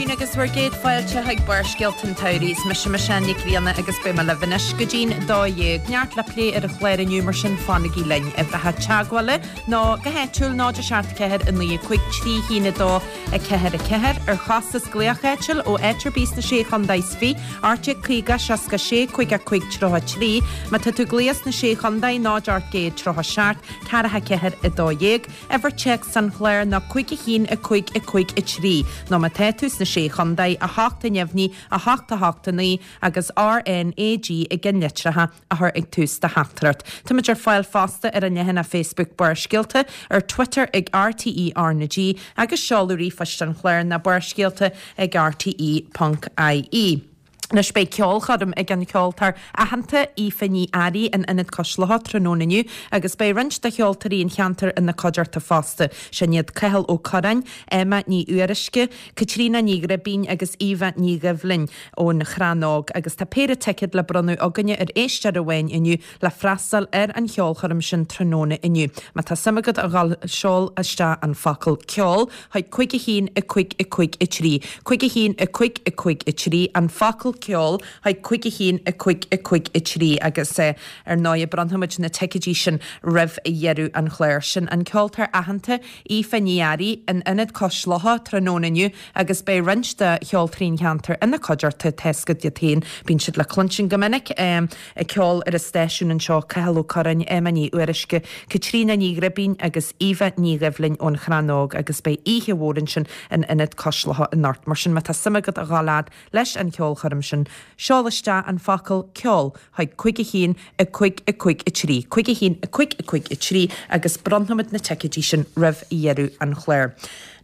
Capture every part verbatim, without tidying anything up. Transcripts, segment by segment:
maidin agus bhur gcéad fáilte chuig Barrscéalta an tSamhraidh. Is mise Michelle Nic Grianna agus beidh mé libh anois go dtí'n dó dhéag. Neart le plé ar an chlár inniu mar sin fanaigí linn. Uimhreacha teagmhála ná go háitiúil náid a seacht ceathair a naoi a cúig trí haon a dó a ceathair a ceathair ar chostas glaoch áitiúil ó áit ar bith sna sé chontae is fiche ocht déag caoga seasca sé cúig a cúig tríocha trí má tá tú ag glaoch sna sé chontae náid ocht gcéad tríocha seacht ceathracha ceathair a dó dhéag uimhir téacs an chláir ná cúig a haon a cúig a cúig a trí nó má tá tú sna sé chontae a hocht a neamhní a hocht a hocht a naoi agus RNAG i gceannlitreacha a chur ag tús do theachtaireacht. Táimid ar fáil fosta ar an leathanach Facebook Barrscéalta ar Twitter ag RTE RnaG agus seoladh ríomhphoist an chláir ná barrscéalta ag RTE.ie. Anois beidh ceolchoirm ag an cheoltóir aitheanta Aoife Ní Fhearraigh in Ionad Cois Locha tráthnóna inniu agus beidh roinnt de cheoltóirí an cheantair ina cuideachta fosta. Sin iad Cathal Ó Curráin, Emma Ní Fhuaruisce, Caitríona Ní Ghribín agus Eva Ní Dhoibhlin ón Chrannóg agus tá péire ticéad le bronnadh againne ar éisteoir amháin inniu le freastal ar an cheolchoirm sin tráthnóna inniu. Má tá suim agat a dhul seol isteach an focal ceol chuig cúig a haon a cúig a cúig a trí. Cúig a haon a cúig a cúig a trí an focal ceol chuig cúig a haon a cúig a cúig a trí agus eh, ar ndóigh bronnfaimid na ticéidí sin roimh dheireadh an chláir sin an ceoltóir aitheanta Aoife Ní Fhearraigh in Ionad Cois Locha tráthnóna inniu agus beidh roinnt de cheoltóirí an cheantair ina cuideachta tá a fhios agat iad féin bíonn siad le cluinstin go minic um, ag ceol ar an stáisiún anseo Cathal Ó Curráin Emma Ní Fhuaruisce, Caitríona Ní Ghribín agus Eva Ní Dhoibhlin ón Chrannóg agus beidh oíche mhór ansin in Ionad Cois Locha anocht mar sin má tá suim agat a dhul fhad leis an cheolchoirm sin seol isteach an focal ceol chuig cúig a haon a cúig a cúig a trí. Cúig a haon a cúig a cúig a trí agus bronnfaimid na ticéidí sin roimh dheireadh an chláir.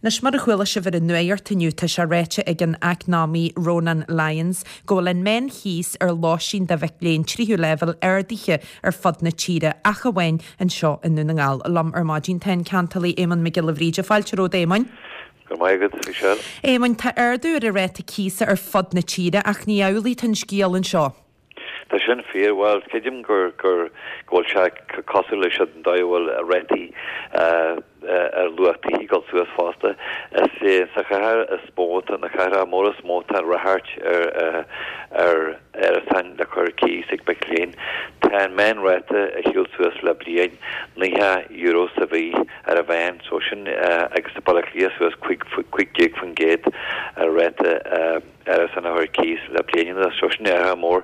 Anois mar a chuala sibh ar an nuacht inniu tá sé ráite ag an eacnamaí Ronan Lyons go bhfuil an meánchíos ar lóistín do mhic léinn tríú leibhéal ardaithe ar fud na tíre ach amháin anseo i nDún na nGall. Liom ar maidin tá an ceantálaí Éamonn Mac Giolla Bhríde fáilte romhat Éamoinn. Go maith agat Michelle. Éamonn tá ardú ar an ráta cíosa ar fud na tíre ach ní amhlaidh an scéal anseo. Tá sin fíor well creidim gur gur go bhfuil sé cosúil leis an dóigh a bhfuil rátaí ar luach tithe ag dul suas fosta. Is sa chathair is mó na cathracha móra is mó tá ráchairt ar ar árasáin le cur cíos ag mic léinn. Tá an meánráta a shiúil suas le bliain naocha euro sa mhí ar a mheán so sin agus sa Baile Átha Cliath suas cúig déag faoin gcéad ar ráta árasáin a chur cíos le bliain anuas so sin athrú mór.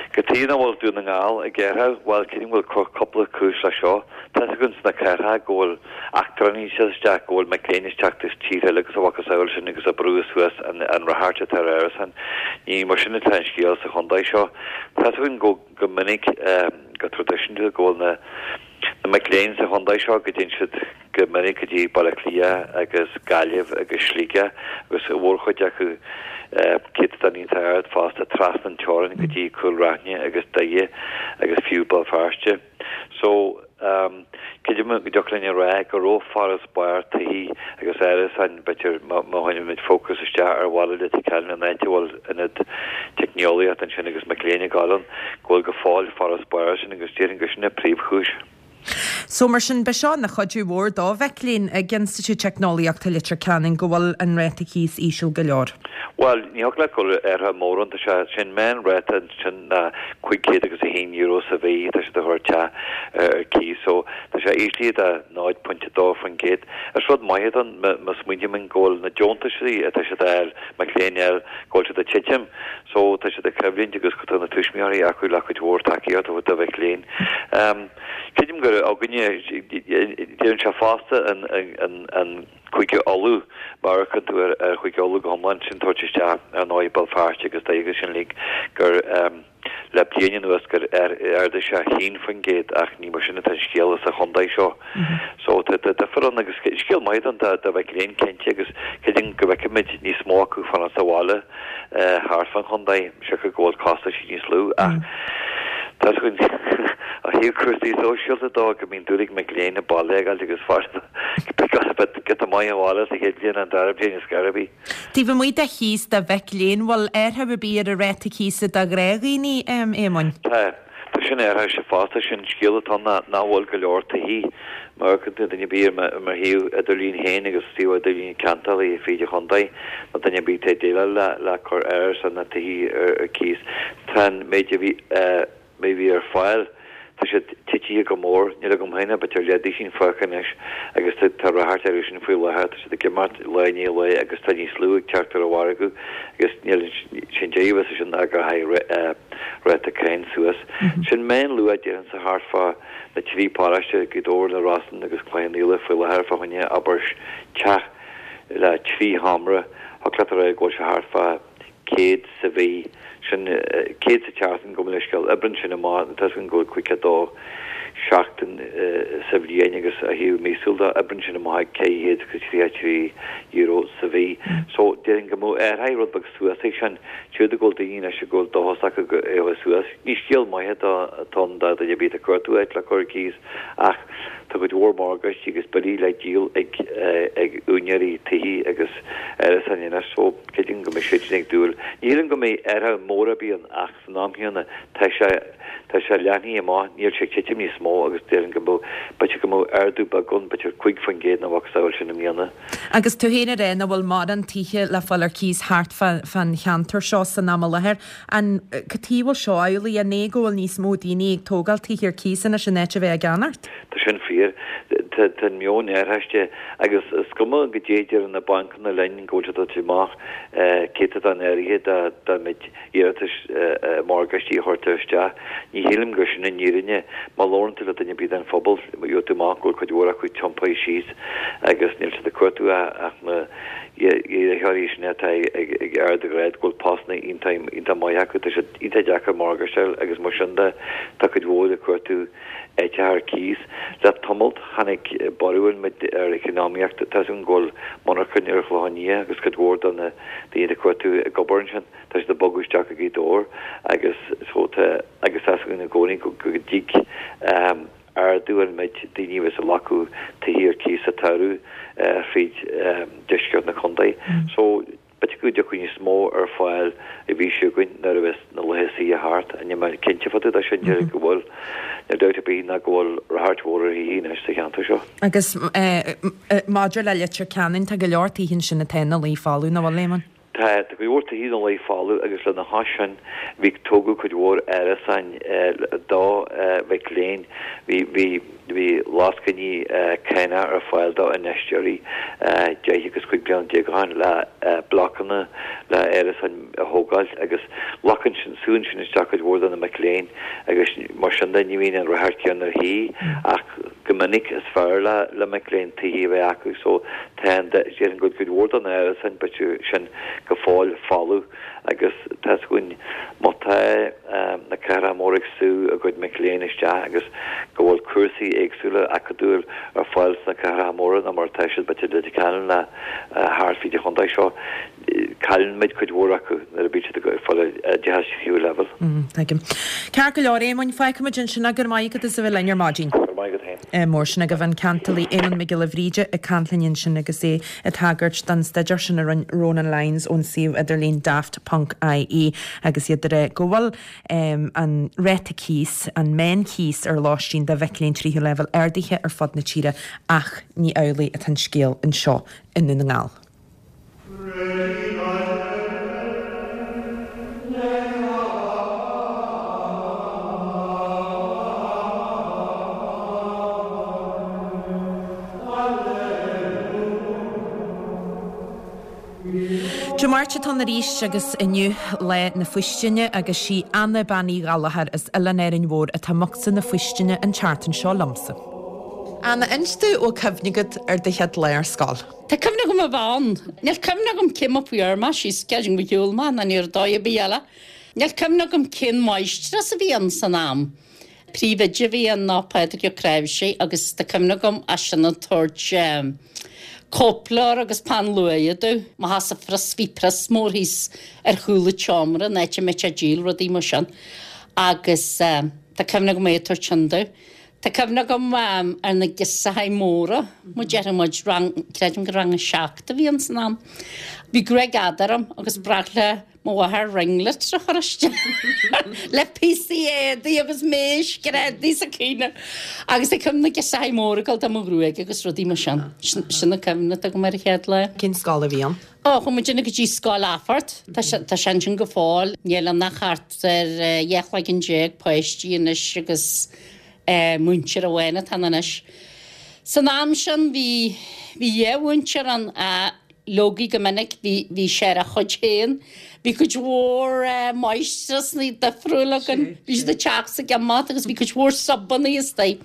Cad chuige nach bhfuil Dún na nGall ag athrú bhuel creidim go bhfuil cúpla cúis le seo. Tá againn sna cathracha go bhfuil eachtrannaigh isteach go bhfuil mic léinn isteach as tíortha eile agus a mhacasamhail sin agus ag brú suas an an ráchairt atá ar árasáin. Ní mar sin atá an scéal sa chontae seo. Tá againn go go minic go traidisiúnta go bhfuil na na mic léinn sa chontae seo go dtéann siad go minic go dtí Baile Átha Cliath agus Gaillimh agus Sligeach agus a mhórchuid acu céatadán iontach ard fosta trasna an teorainn go dtí Cúil Raithne agus Doire agus fiú Béal Feirste. So um, creidim go dtiocfadh linn a rá go raibh farasbarr tithe agus árasáin b'fhéidir má chuirimid fócas isteach ar bhaile Leitir Ceanainn an áit a bhfuil ionad teicneolaíocht ansin agus mic léinn ag gabháil ann go bhfuil go fóill farasbarr sin agus déarfainn gur sin an príomhchúis. So mar sin b'é seo ina chuidiú mhór do mhic léinn ag Institiúid Teicneolaíochta Leitir Ceanainn go bhfuil an ráta cíos íseal go leor. Well, ní thig leat go athrú mór ann tá sé sin meánráta sin na cúig chéad agus a haon euro sa mhí tá siad a chur isteach ar cíos so tá sé íslithe de náid pointe dó faoin gcéad. Is rud maith don má smaoinímid go bhfuil na deontaisí atá siad a fháil mic léinn a fháil go bhfuil siad ag titim so tá siad ag coimhlint agus tá na tuismitheoirí acu le cuid mhór tacaíocht a do mhic léinn. Um, Creidim gur againne déanann sé fosta an an an Cúige Uladh mar a tú ar ar Chúige Uladh go hiomlán sin tabhairt isteach ar ndóigh Béal Feirste agus Doire sin uilig gur um, le bliain anuas gur ardaigh sé haon faoin gcéad ach ní mar sin atá an scéal sa chontae seo. So tá difear ann agus scéal maith don do mhic léinn cinnte agus creidim go bhfeicfimid níos mó acu fanacht sa bhaile thart fán chontae siocair go bhfuil costais níos lú ach Tá a thaobh cúrsaí sóisialta dó go mbíonn dúil ag mic léinn an baile a fhágáil agus giota maith an bhaile sa chéad bhliain an dara bliain is gairbí. Taobh amuigh de chíos do mhic léinn bhfuil athrú ar bith ar an ráta cíosa do ghnáthdhaoine Éamoinn. Tá Tá sin athraithe fosta, sin scéal atá ann nach bhfuil go leor tithí má amharcann tú duine ar bith ar mo shuíomh idirlín féin agus suíomh idirlín ceantálaí fríd an chontae nó duine ar bith atá ag déileáil le le cur árasán nó tithí ar cíos tá an méid a bhí méid a bhí ar fáil tá sé titithe go mór níl agam féin ach b'fhéidir leathdhuisín fágtha anois agus tá tá ráchairt orthu sin faoi láthair tá siad ag imeacht lá i ndiaidh lae agus tá níos lú ag teacht ar an mhargadh agus níl sin deireadh is sin ná gur tháinig ráta cáin suas. Sin meánluach déarfainnse thart fá na trí paróiste, Gaoth Dobhair, na Rosann agus Cloich Cheann Fhaola faoi láthair fá choinne abair teach le trí sheomra, thiocfadh leat a rá go bhfuil sé thart fá céad sa mhí, sin céad sa tseachtain gabh mo leithscéal, oibríonn sin amach, tá a fhios againn go bhfuil caoga a dó seachtain sa bhliain agus ó thaobh míosúil de, oibríonn sin amach ag ceithre chéad agus tríocha a trí euro sa mhí. So, déarfainn go mbeadh athraithe rud beag suas ag sin, siúd go bhfuil daoine anois go bhfuil dóchas acu go éireoidh suas. Ní scéal maith atá ann do dhuine ar bith atá ag cuartú áit le cur ar cíos ach tá cuid mhór morgáistí agus billí le díol ag ag úinéirí tithí agus árasáin anois so creidim go mbeidh siad sin ag dúil. Ní shílim go mbeidh athrú mór ar bith ann ach san am chéanna tá sé tá sé leathnaithe amach, níl sé ag titim níos mó agus déarfainn go mbeadh, b'fhéidir go mbeadh ardú beag ann, b'fhéidir cúig faoin gcéad nó a mhacasamhail sin i mbliana. Agus tú féin ag rá nach bhfuil mórán tithe le fáil ar cíos thart fán cheantar seo san am i láthair. An cad chuige a bhfuil seo amhlaidh? An é go bhfuil níos mó daoine ag tógáil tithe ar cíos anois in áit a bheith á gceannacht? Tá sin fíor. Tá an meon athraithe agus is cuma goidé a deir na bancanna linn go bhfuil siad ag tabhairt amach céatadán áirithe dá méid iarratais morgáistí a chuirtear isteach. Ní shílim gur sin an fhírinne. Má labhrann tú le duine ar bith den phobal, gheobhaidh tú amach go bhfuil cuid mhór acu tiompaithe síos agus níl siad ag cuartú ach na hiarrthóirí sin atá ag ardghrád, go bhfuil postanna iontach maith acu. Tá sé iontach deacair morgáiste a fháil agus mar sin de tá cuid mhór ag cuartú áiteacha ar cíos. Le tamalt tháinig borradh an méid ar eacnamaíocht. Tá 'fhios againn go bhfuil monarchain ar an Chlochán Liath agus cuid mhór de na daoine ag cuartú ag obair ansin. Tá siad ag bogadh isteach go Gaoth Dobhair agus so tá agus tá 'fhios againn i gcónaí go dtig ardú an méid daoine a bheas ag glacadh tithí ar cíos sa tsamhradh fríd deisceart na contae. So b'fhéidir go dtiocfaidh níos mó ar fáil an mhí seo chugainn nuair a bheas na laetha saoire thart. Níl mé cinnte fá dtaobh de sin, déarfainn go bhfuil. Níl dabht ar bith ná go bhfuil ráchairt mhór ar thithe anois sa cheantar seo. Agus maidir le Leitir Ceanainn, tá go leor tithe ansin atá ina luí folamh, nach bhfuil, Éamonn? Tá, tá cuid mhór tithe ina luí folamh agus lena chois sin bhí tógadh cuid mhór árasáin do mhic léinn. Bhí, bhí, bhí lascainí cánach ar fáil do infheisteoirí deich agus cúig bliana déag ó shin le blocanna le árasáin a thógáil agus glacann sin, súnn sin isteach cuid mhór de na mic léinn agus mar sin de ní bhíonn an ráchairt céanna ar thithe ach go minic is fearr le le mic léinn tithí a bheith acu so tá an déarfainn go bhfuil cuid mhór de na árasáin b'fhéidir sin go fóill folamh agus tá 'fhios againn má tá na cathracha móra ag sú a gcuid mic léinn isteach agus go bhfuil cúrsaí éagsúla acadúil ar fáil sna cathracha móra ná mar atá siad b'fhéidir i Leitir Ceanainn ná thart fríd an chontae seo. Cailleann muid cuid mhór acu nuair a bíonn siad ag fáil oideachas tríú leibhéal. Tuigim. Ceart go leor, Éamoinn, fágfaimid ansin é. Go raibh maith agat as a bheith linn ar maidin. Go raibh maith agat féin. Mór sin agaibh an ceantálaí Éamonn Mac Giolla Bhríde ag caint linn ansin agus é ag tagairt don staidéar sin a rinne Ronan Lyons ón suíomh idirlín daft ponc ie agus iad ag rá go bhfuil an ráta cíos, an meánchíos ar lóistín do mhic léinn tríú leibhéal ardaithe ar fud na tíre ach ní amhlaidh atá an scéal anseo i nDún na nGall. Dé Máirt atá ann arís agus inniu Lá na Faoistine agus sí Anna Bean Uí Ghallchóir as Oileán Árainn Mhór atá i mbocsa na faoistine an tseachtain seo liomsa. Anna, inis domh an bhfuil cuimhne agat ar do chéad lá ar scoil. Tá cuimhne agam a bheith ann. Níl cuimhne agam cé mar fuair mé síos creidim gur shiúil mé ná ní raibh dóigh ar bith eile. Níl cuimhne agam cén mháistreás a bhí ann san am. Príomhoide a bhí ann ná Pádraig Ó Cnáimhsí agus tá cuimhne agam eisean ag tabhairt cóipleabhar agus peann luaidhe domh. Mo sheasamh phrios, bhí prios mór thíos ar chúl an tseomra an áit a mbeadh sé ag díol rudaí mar sin agus tá cuimhne agam é ag tabhairt sin domh. Tá cuimhne agam ar na girseachaí móra, mar déarfaidh muid, rang, creidim gur rang a seacht a bhí ann san am. Bhí gruaig fhada orm agus ba ghnách le mo mháthair ringlets a chur isteach le píosaí éadaí agus méisc ar éadaí sa cuimhne. Agus tá cuimhne na girseachaí móra ag dul do mo ghruaig agus rudaí mar sin. Sin an cuimhne atá agam ar an chéad lá. Cén scoil a bhí ann? Ó, chuaigh muidinne go dtí Scoil Athphort. Tá sé tá sé ansin go fóill. Níl ann ach thart ar dhá chloigeann déag páistí anois agus múinteoir amháin atá ann anois. San am sin bhí bhí dhá mhúinteoir ann a leogaí go minic bhí bhí sé ar a chuid féin. Bhí cuid mhór máistreasanna difriúla againn. Bhí siad ag teacht is ag imeacht agus bhí cuid mhór subanna istigh.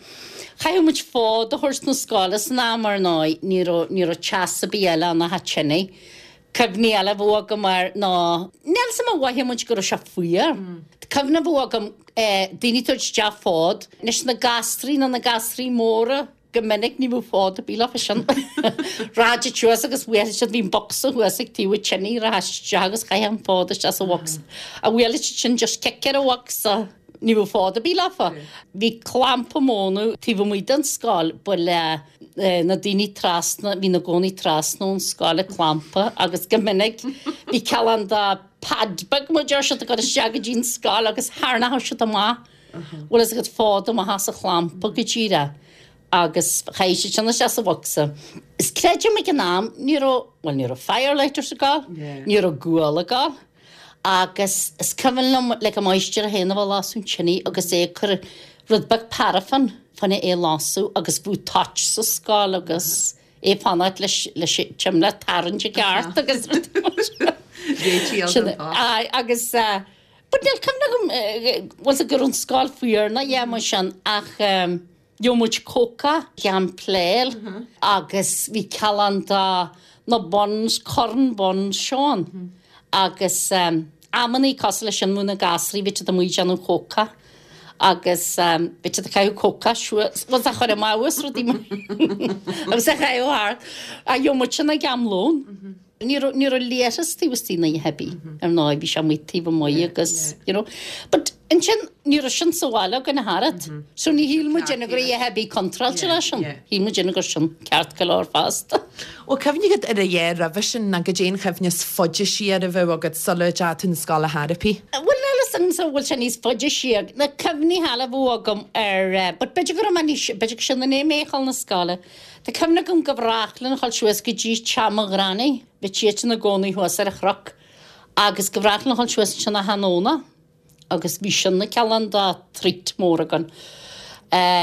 Chaithfeadh muid fód a thabhairt 'na scoile san am ar ndóigh, ní raibh ní raibh teas ar bith eile ann ach an tine. Cuimhní eile a bheadh agam air ná, níl 'fhios a'm ar mhothaigh muid go raibh sé fuar. Cuimhne a bheadh agam daoine ag tabhairt isteach fód, anois na gasraí nó na gasraí móra, go minic ní bheadh fód ar bith leofa sin. Rachadh siad suas agus bhuailfeadh siad, bhí an bocsa thuas ag taobh an tine, rachadh siad isteach agus chaithfeadh an fód isteach sa bhocsa. A bhuailfeadh siad sin just cic ar an bhocsa, ní bheadh fód ar bith leofa. Bhí clampa móna taobh amuigh den scoil, ba le na daoine trasna, bhí ina gcónaí trasna ón scoil an clampa agus go minic bhí cineál de pad beag mar deir siad ag dul isteach go dtí an scoil agus tharraingeodh siad amach, bhfuil fhios agat fód amach as an chlampa go díreach agus chaith siad sin isteach sa bhocsa. Is creidim ag an am ní raibh, bhuel ní raibh firelighters ag dul, ní raibh gual ag dul agus is cuimhin liom like an máistir féin a bheith ag lasadh an tine agus é ag cur rud beag paraifin fá choinne é a lasadh agus bheadh toit sa scoil agus é ag fanacht leis leis an tsimléar a tharraingt i gceart agus rudaí mar sin. Réitigh Sin an toit. Aye agus eh but níl cuimhne agam eh bhfuil 's go raibh an scoil fuar ná a dhath mar sin ach eh gheobhadh muid cóca gan pléil agus bhí cineál de na buns, corn buns seo ann agus amannaí cosúil leis sin bheadh na gasraí, bhí siad amuigh ag déanamh cóca agus bhí siad ag caitheamh cóca suas, bhuel a chur amach agus rudaí mar agus a chaitheamh thart. Ach gheobhadh muid sin ag am lóin. Ní raibh ní raibh leithreas taobh istigh ná a dhath ar bith, ar ndóigh, bhí sé amuigh taobh amuigh agus, you know. But ansin ní raibh sin sa bhaile againn ach oiread. So ní shíl muidinne go raibh a dhath ar bith contráilte leis sin. Shíl muidinne gur sin ceart go leor fosta. Bhfuil cuimhne agat ar a dhath roimhe sin nó goidé an chuimhne is faide siar a bheadh agat sula dteachaigh tú 'na scoile ar chor ar bith? Bhuel níl fhios agamsa an bhfuil sé níos faide siar. Na cuimhní eile a bheadh agam ar, but b'fhéidir go raibh mé níos, b'fhéidir gur sin i ndiaidh mé a dhul 'na scoile. Tá cuimhne agam go bhreá linn a dhul suas go dtí teach mo ghranny, bhí siad ina gcónaí thuas ar an chnoc, agus go bhreá linn a dhul suas ansin achan Domhnach agus bhí sin ina cineál de treat mór againn.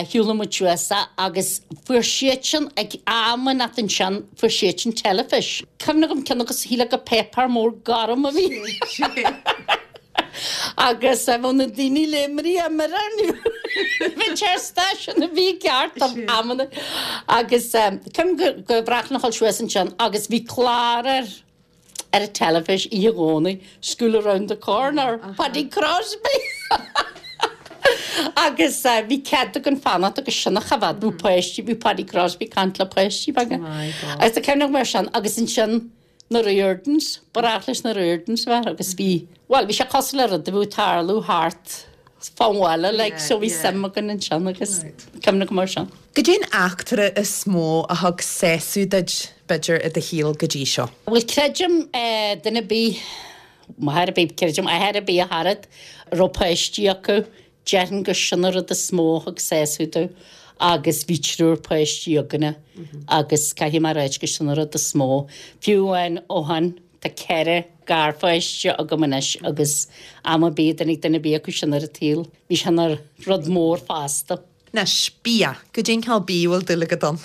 Shiúladh muid suas agus fuair siadsan ag am inteacht ansin, fuair siadsan teilifís. Cuimhne agam ceann agus shílfeá gur páipéar mór gorm a bhí. Agus bheadh na daoine léimrithe ar bhí sé ar stáisiún a bhí ceart am amanna agus cuimhin go go bhreá linn a dhul suas ansin agus bhí clár ar ar an teilifís oíche Dhomhnaigh, School Around the Corner, Paddy Crosby! Agus bhí cead againn fanacht agus sin a choimhéad, bhí páistí, bhí Paddy Crosby ag caint le páistí beaga. Agus tá cuimhne agam ar sin agus ansin na Riordans, ba ghnách leis na Riordans a bheith agus bhí, bhuel, bhí sé cosúil le rud a bhí ag tarlú thart fán bhaile, like, so bhí suim againn ansin agus cuimhne agam ar sin. Goidé an eachtra is mó a thug sásamh duit, b'fhéidir, i do shaol go dtí seo? Bhuel, creidim, duine ar bith, máthair ar bith, creidim, athair ar bith ach oiread, a raibh páistí acu, Déarfainn gur sin an rud is mó a thug sásamh domh agus bhí triúr páistí againne agus caithfidh mé a ráit gur sin an rud is mó. Fiú amháin ó shin tá ceithre garpháiste agam anois agus am ar bith a dtáinig duine ar bith acu sin ar an tsaol, bhí sé ina rud mór fosta. Anois, bia. Goidé an cineál bídh a bhfuil dúil agat ann?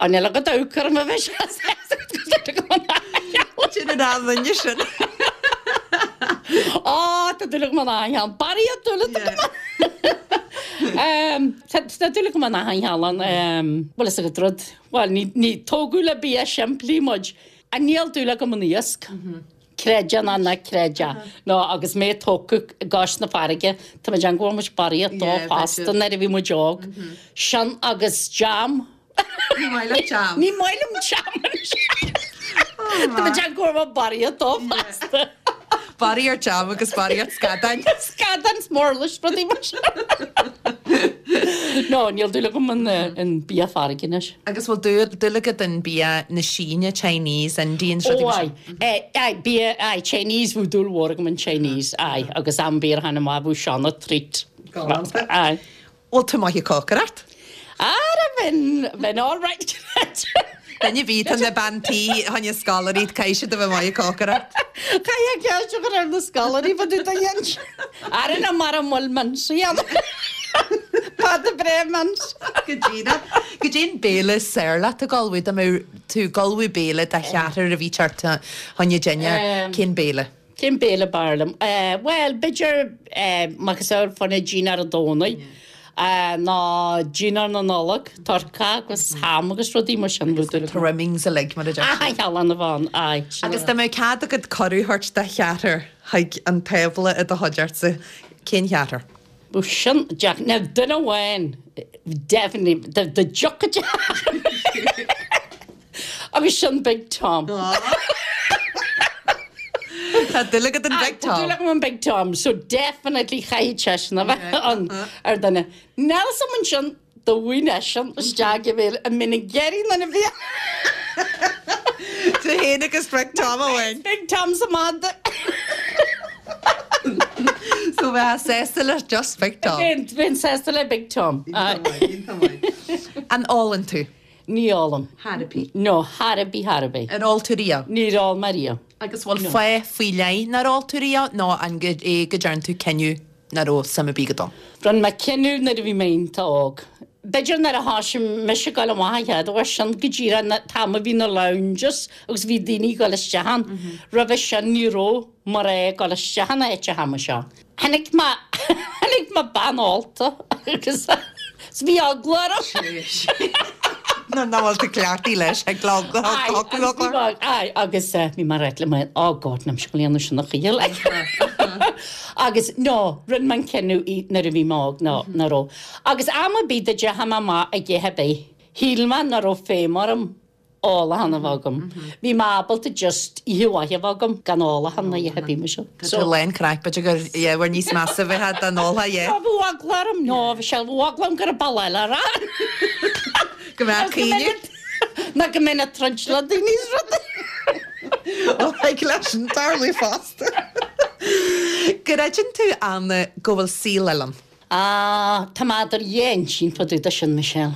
Á níl agat amharc orm a bheith sé sásta go dúil agam in achan cheann. Sin an duine sin. Á tá dúil agam in achan cheann. Barraíocht dúil atá agam ann. Tá dúil agam in achan cheann. Bhfuil fhios agat rud, bhuel ní ní tógadh le bia simplí muid. Ach níl dúil agam in iasc. Creid é nó ná creid é. Nó agus mé tógtha i gcois na farraige, tá mé ag déanamh go bhfuair muid barraíocht dó fosta nuair a bhí muid óg. Sin agus jam. Ní maith leat jam. Ní maith liom jam anois. Tá mé ag déanamh go bhfuair muid barraíocht dó fosta. Barraíocht jam agus barraíocht scadáin. Scadáin 's murlais rudaí mar sin. No, níl dúil agam in in bia farraige anois. Agus bhfuil dúil dúil agat in bia na Síne, Chinese, Indian, Ó aye. Eh, aye, bia, aye, Chinese bhí dúil mhór agam in Chinese, aye, agus am bia hana maith bhí sin treat. Galánta. Aye. Bhfuil tú maith ag cócaireacht? Ara bheinn bheinn all right. Duine bhí tá na bean tí tháine scoláirí caithfidh siad a bheith maith ag cócaireacht. Caithfidh ceist a chur ar na scoláirí fa dtaobh de dhéan. Ara na mar a bhfuil mince ann. Pota breá mince. Go díreach. Goidé an béile is fearr leat ag ullmhú dá mbeadh tú ag ullmhú béile do cheathrar a bhí thart chun dinnéir, cén béile? Cén béile b'fhearr liom? Bhuel, b'fhéidir macasamhail fá choinne dinnéar an Domhnaigh ná dinnéar na Nollag, turcaí agus ham agus rudaí mar sin. Trimmings uilig mar a deir siad. Aye, shealann a bhean, aye. Agus dá mbeadh cead agat cuireadh a thabhairt do cheathrar chuig an tábla i do chuideachta, cén cheathrar? Bhuel sin deacair. Now duine amháin, definitely, dá dtiocfadh Agus sin Big Tom. Tá dúil agat in Big Tom. Dúil agam in Big Tom, so definitely chaithfidh seisean a bheith ann ar duine. Níl fhios agam ansin dá bhfaighinn eisean isteach i bhféile an mbeinn ag iarraidh nuair a bhí Tú féin agus Big Tom amháin. Big Tom sa mada. So bheifeá sásta le just Big Tom. Bheinn sásta le Big Tom. An ólann tú? Ní ólaim. Chor ar bith. No, chor ar bith, chor ar bith. Ar ól tú riamh? Níor ól mé riamh. Agus bhfuil fáth faoi leith nár ól tú riamh nó an é go dtearn tú cinneadh nach raibh suim ar bith agat ann? Rinne mé cinneadh nuair a bhí mé iontach óg. B'fhéidir nuair a thosaigh mise ag dul amach an chéad uair sin go díreach an t-am a bhí na lounges agus bhí daoine ag dul isteach ann. Roimhe sin ní raibh mar é ag dul isteach in áit an t-am seo. Tháinig mé tháinig mé bean ólta agus bhí eagla orm. Nuair nach bhfuil tú cleachtaithe leis ag Aye, agus bhí mé ag ráit le mé, oh God, níl mise ag dul a dhéanamh sin a choíche like. Agus no, rinne mé an cinneadh í nuair a bhí mé óg, no, nach raibh. Agus am ar bith dá dteachaidh mé amach ag ithe ar bith, shíl mé nach raibh feidhm orm ólachán a bheith agam. Bhí mé ábalta just oíche mhaith a bheith agam gan ólachán ná ithe bhí mé seo. Tá tú lán craic, b'fhéidir gur yeah, níos measa a bheith dá n-ólfá, yeah. Bhí eagla orm, no, bhí sé bhí eagla orm go raibh baile eile a rá. Go mbeadh caoineadh. Ná go mbeinn ag troid le daoine is rudaí. Ó, thig leis sin tarlú fosta. An gcreideann tú, Anna, go bhfuil saol eile ann? Ah, tá mé idir dhá intinn fá dtaobh de sin, Michelle.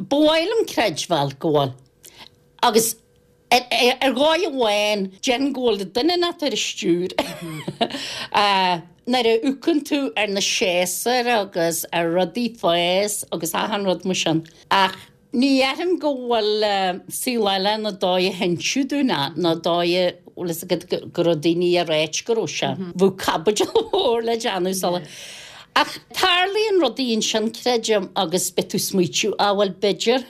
Ba mhaith liom creidbheáil go bhfuil. Agus ar ar dhóigh amháin, déarfainn go bhfuil duine inteacht ar an stiúir. Nuair a amharcann tú ar na séasúir agus ar rudaí ag fás agus achan rud mar sin. Ach ní dhéarfainn go bhfuil saol eile na dóigh a hinseadh dúinn é, ná dóigh a bhfuil fhios agat go raibh daoine ag ráit go raibh sé. Bheadh caibidil mhór le déanamh sula. Ach tarlaíonn rudaí ansin, creidim, agus beidh tú ag smaoitiú, ah bhuel b'fhéidir,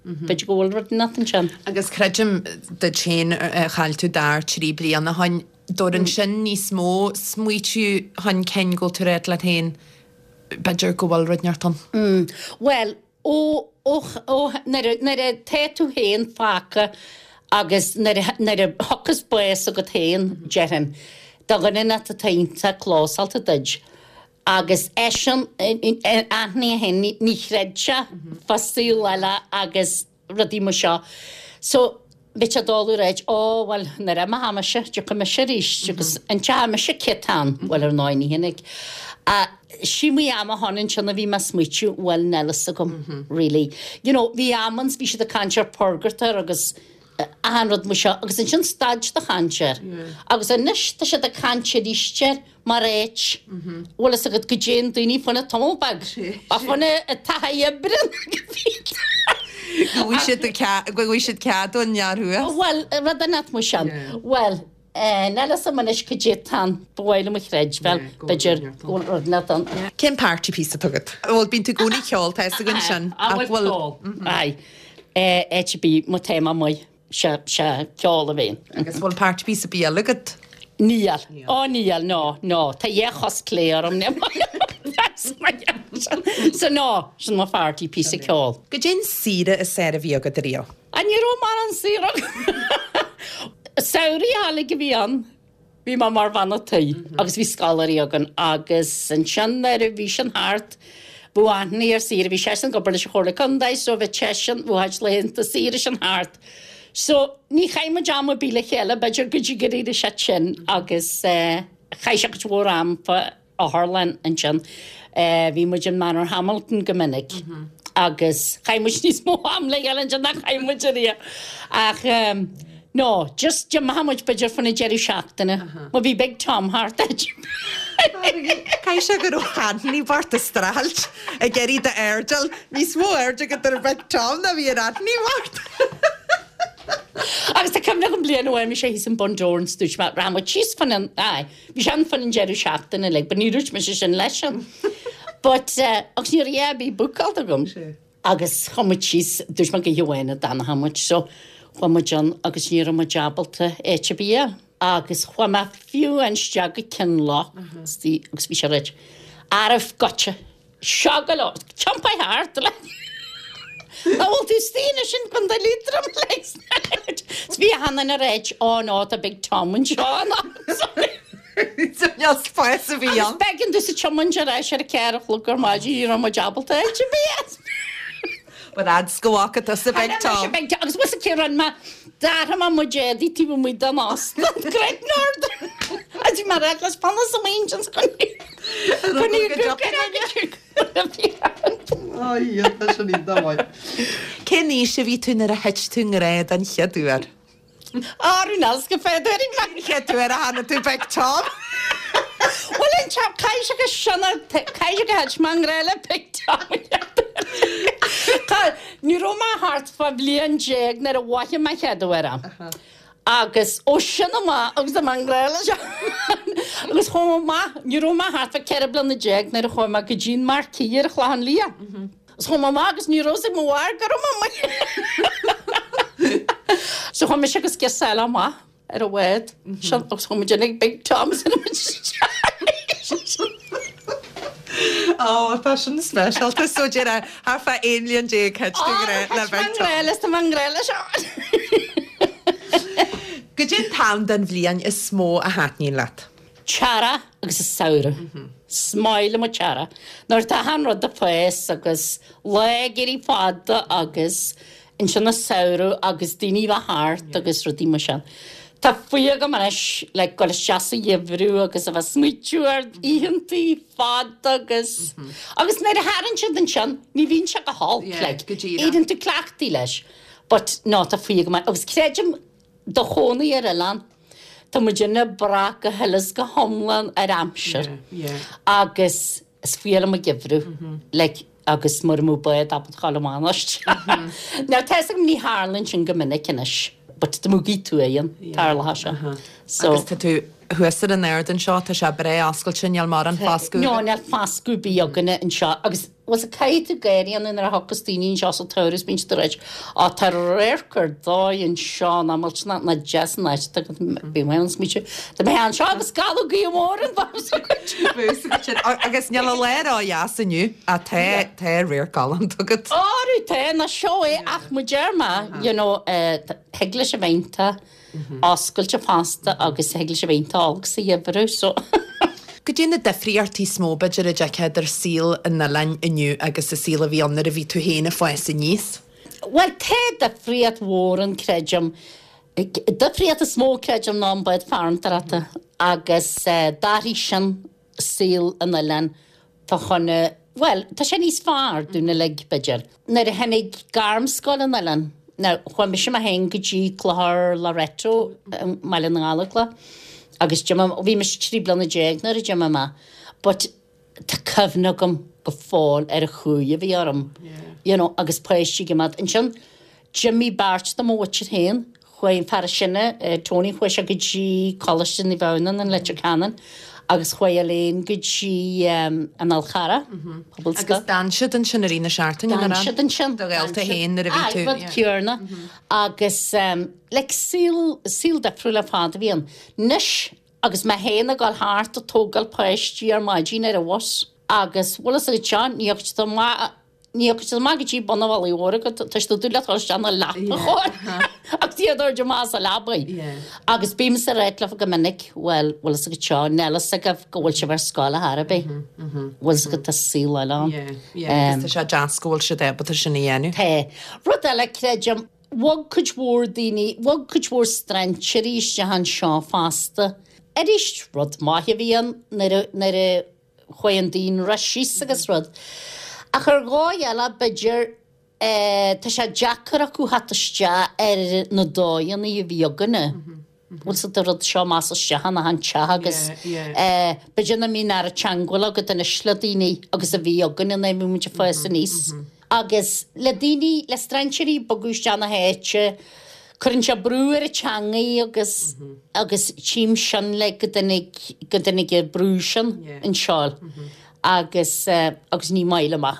b'fhéidir go bhfuil rud inteacht ansin. Agus creidim duit féin, chaill tú d'fhear trí bliana ó shin, dtabharann sin níos mó smaoitiú chun cinn go bhfuil tú ag ráit leat féin, b'fhéidir go bhfuil rud inteacht ann. Bhuel, ó, ó, ó, nuair a, nuair atá tú féin fágtha agus nuair a, nuair a thiocfas bás agat féin, déarfainn, do dhuine inteacht atá iontach clósáilte duit, agus eisean, aithne féin, ní, ní chreid sé fá saol eile agus rudaí mar seo. So, bhí sé doiligh a ráit, ó, bhuel, nuair a imeoidh mise, tiocfaidh mise arís, agus inseoidh mise cé atá ann, bhuel, ar ndóigh, ní hin é. Sí mo am a tháinig ansin a bhí mé ag smaoitiú, bhuel, níl fhios agam, really. You know, bhí am ann, bhí siad ag caint ar purgatory agus achan rud mar seo, agus ansin stad siad ag caint air. Agus anois tá siad ag caint arís air mar áit, bhfuil fhios agat go dtéann daoine fá choinne tamall beag, ach fá choinne taithí oibre Go bhfaighidh siad cead, go bhfaighidh siad cead ón fhear thuas. Bhuel, rud inteacht mar sin. Bhuel, níl fhios agam anois cad é atá ann, ba mhaith liom a chreidbheáil, b'fhéidir go bhfuil rud inteacht ann. Cén party piece atá agat? Bhuel, bíonn tú i gcónaí ag ceol, tá fhios againn sin. Ach bhfuil ceol? Aye. Áit ar bith, má tá mé amuigh, sé sé ceol a bhíonn. Agus bhfuil party piece ar bith eile agat? Níl. Ó níl, no, no. Tá dhá chos clé orm, ní So no, sin mo pharty piece ceol. Goidé an saoire is fearr a bhí agat riamh? Á ní raibh mórán saoire agam. Samhradh álainn a bhí ann. Bhí mé mar bhean a' tí agus bhí scoláirí againn agus ansin nuair a bhí sin thart, Bhí Anthony ar saoire, bhí seisean ag obair leis an Chomhairle Contae so bhí seisean, bhí a chuid laethanta saoire sin thart. So ní chaith muid am ar bith le chéile, b'fhéidir go dtí gur éirigh sé tinn agus eh, chaith sé cuid mhór am fa otharlann ansin. Eh, bhí muid in Manor Hamilton go minic. Agus chaith muid níos mó am le chéile ansin ná chaith muid ariamh. Ach um, no, just d'imigh muid b'fhéidir fan na deireadh seachtaine. Má bhí Big Tom thart. Caithfidh sé go raibh Anthony bocht ag streachailt ag iarraidh d'airdeall níos mó aird agat ar Big Tom ná bhí ar Anthony bocht. Agus tá cuimhne agam bliain amháin bhí sé thíos in Bundoran dúirt mé rachaidh muid síos fan an ai, bhí sé ann fan an deireadh seachtaine like, but ní dúirt mise sin leis an. But uh, agus ní raibh bhí bookáilte agam. Agus chuaigh muid síos dúirt mé go hamháin a d'fhanfadh muid so chuaigh muid ann agus ní raibh muid ábalta áit ar bith a fháil. Agus chuaigh mé fiú isteach go Kinloch agus bhí sé reit. Arbh goite. Seo go leor, tiompaigh thart le. Ná bhfuil tú stíine sin chun de Liatroim leis. Bhí hann an réit á ná tá Big Tom anseo Níl spás a bhí ann. B'éigean domh sa tiomáint ar ais ar a ceathair a chlog ar maidin ní raibh muid ábalta áit ar bith. But ads go bhfaca tusa Big Tom. Agus was cé ran ma d'athraigh mé mo éadaí taobh amuigh den óstán Great Northern. A bhí mar leis panna sa main go Ai, tá sin iontach maith. Cén aois a bhí tú nuair a thit tú i ngrá den chéad uair? Árú nás go féidir Chéad uair a chonaic tú Big Tom? Well an teap caithfidh go sena caithfidh go thit mé i ngrá le Big Tom. Ní raibh mé thart fá bhliain déag nuair a mhothaigh mé chéad uair é. Agus ó sin amach agus mé i ngrá leis agus chuaigh mé amach ní raibh mé thart fá ceithre bliana déag nuair a chuaigh mé go dtí an Marquee ar Chlochán Liath. Agus chuaigh mé amach agus ní raibh ag mo mháthair go raibh mé So chuaigh mise agus girseach amach ar an bhád sin agus chuaigh muid ag Big Tom sin muid Ó, tá sin speisialta so deir thart fá aon bhliain déag thit tú i ngrá le Big Tom. leis tá mé i ngrá leis. Goidé an t-am den bhliain is mó a thaitníonn leat. Teara agus is samhradh. Is maith liom an t-earrach. Nuair tá an rud ag fás agus lá ag éirí fada agus ansin an samhradh agus daoine bheith thart agus rudaí mar sin. Tá fuath agam anois le gul isteach sa gheimhreadh agus a bheith smaoitiú ar oícheantaí fada agus agus nuair a tharann siad ansin ní bhíonn sé go holc Yeah, like, go díreach. éiríonn tú cleachtaithe leis. But no tá fuath agam agus creidim do chónaí ar oileán. Tá muid ag brath go huile is go hiomlán ar aimsir. Yeah, yeah. Agus is fuath liom an geimhreadh. Like, agus mura mbeadh bád ábalta ghabháil amach anois. Now tá agam ní tharlaíonn sin go minic anois, but dá mbeadh tú éan tarlaithe se. So Agus tá tú thuas ar an ard anseo tá sé breá oscailte níl mórán foscadh. No, níl foscadh ar bith againne anseo agus was a caithfidh tú gáirí an nuair a thiocfas daoine anseo sa turas bíonn siad ag ráit, "Á tá radharc ar dóigh anseo ná muilt ná ná deas an áit agus bhí mé an smaointe. Tá mé anseo agus scalladh gaoth mór an bhas Agus níl an lá ródheas inniu a tá tá radharc galánta agat. Áú tá na seo é ach mu deir mé, you know, eh, thig leis a bheith oscailte fosta agus thig leis a bheith olc sa gheimhreadh so. Goidé na difríochtaí is mó b'fhéidir a d'fheicfeá idir saol an oileáin inniu agus an saol a bhí ann nuair a bhí tú féin ag fás aníos. Well tá difríocht mhór ann creidim. Difríocht is mó creidim ná an bád farantóireachta agus uh, d'athraigh sin saol an oileáin fá choinne well, tá sé níos fearr dúinn uilig b'fhéidir. Nuair a tháinig gairmscoil an oileáin, Now, chuaigh mise mé féin go dtí Clochar Loreto i mBaile na nGallóglach agus d'imigh- bhí mise trí bliana déag nuair a d'imigh mé, but tá cuimhne agam go fóill ar an chumhaidh a bhí orm. You know, agus páistí go mad. Ansin d'imigh beirt de mo mhuintir féin, chuaigh an fear sine, eh, Tony chuaigh sé go dtí Coláiste Naomh Adhamhnáin in Leitir Ceanainn agus chuaigh Elaine go dtí um, an Fhál Carrach, Agus d'fhan siad ansin i rith na seachtaine D'fhan siad ansin. Do ghaolta féin nuair a bhí tú. Rud céanna. Agus um, like, saol saol difriúil ar fad a bhí ann. Anois agus mé féin ag dul thart ag tógáil páistí ar maidin ar an bhus agus bhfuil a fhios agat seo ní fhaca Ní fhaca siad amach go dtí bun an Mhullaigh Mhóir agat, tá siad dúil le dul isteach na leapa chóir agus iad ar amach as a leabaidh. Agus bímse ag ráit leofa go minic, bhuel, bhfuil fhios agat seo, níl fhios agaibh go bhfuil sibh ar scoil ar chor ar bith. Bhfuil fhios agat tá saol eile ann. Agus tá sé deas go bhfuil siad ábalta sin a dhéanamh. Tá. Rud eile, creidim, bhog cuid mhór daoine, bhog cuid mhór strainséirí isteach anseo fosta. Arís, rud maith a bhí ann nuair a, nuair a chuaigh an daonra síos agus rud. Ach ar dhóigh eile, b'fhéidir, tá sé deacair acu theacht isteach ar na dóigheanna a bhí againne. Bhfuil fhios agat an rud seo más isteach in achan teach agus b'fhéidir nach mbíonn oiread teagmháil agat anois le daoine agus a bhí againne nuair a bhí muid ag fás aníos. Agus le daoine, le strainséirí bogadh isteach na háite, cuireann sé brú ar an teangaidh agus agus tchím sin le go dtáinig go dtáinig an brú sin anseo agus agus ní maith liom é.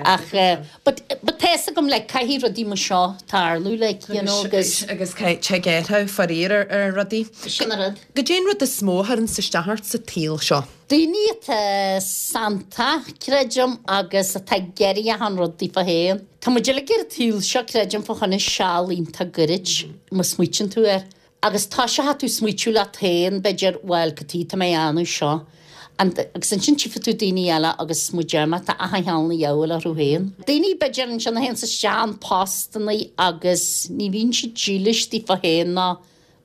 Ach but but tá fhios agam like caithfidh rudaí mar seo tarlú like you know agus agus tig athrú faraor ar ar rudaí. Sin an rud. Goidé an rud is mó a chuireann isteach ort sa tsaol seo? Daoine atá santach, creidim, agus atá ag iarraidh achan rud daofa féin. Tá muid uilig ar an tsaol seo, creidim, fá choinne seal iontach gairid, má smaoitíonn tú air. Agus toiseochaidh tú smaoitiú leat féin, b'fhéidir, bhuel, cad chuige atá mé a dhéanamh seo? And, agus ansin tchífidh tú daoine eile agus mo deir mé, tá achan cheann a dheabhail orthu féin. Daoine, b'fhéidir, ansin a théanns isteach in postannaí agus ní bhíonn siad dílis daofa féin ná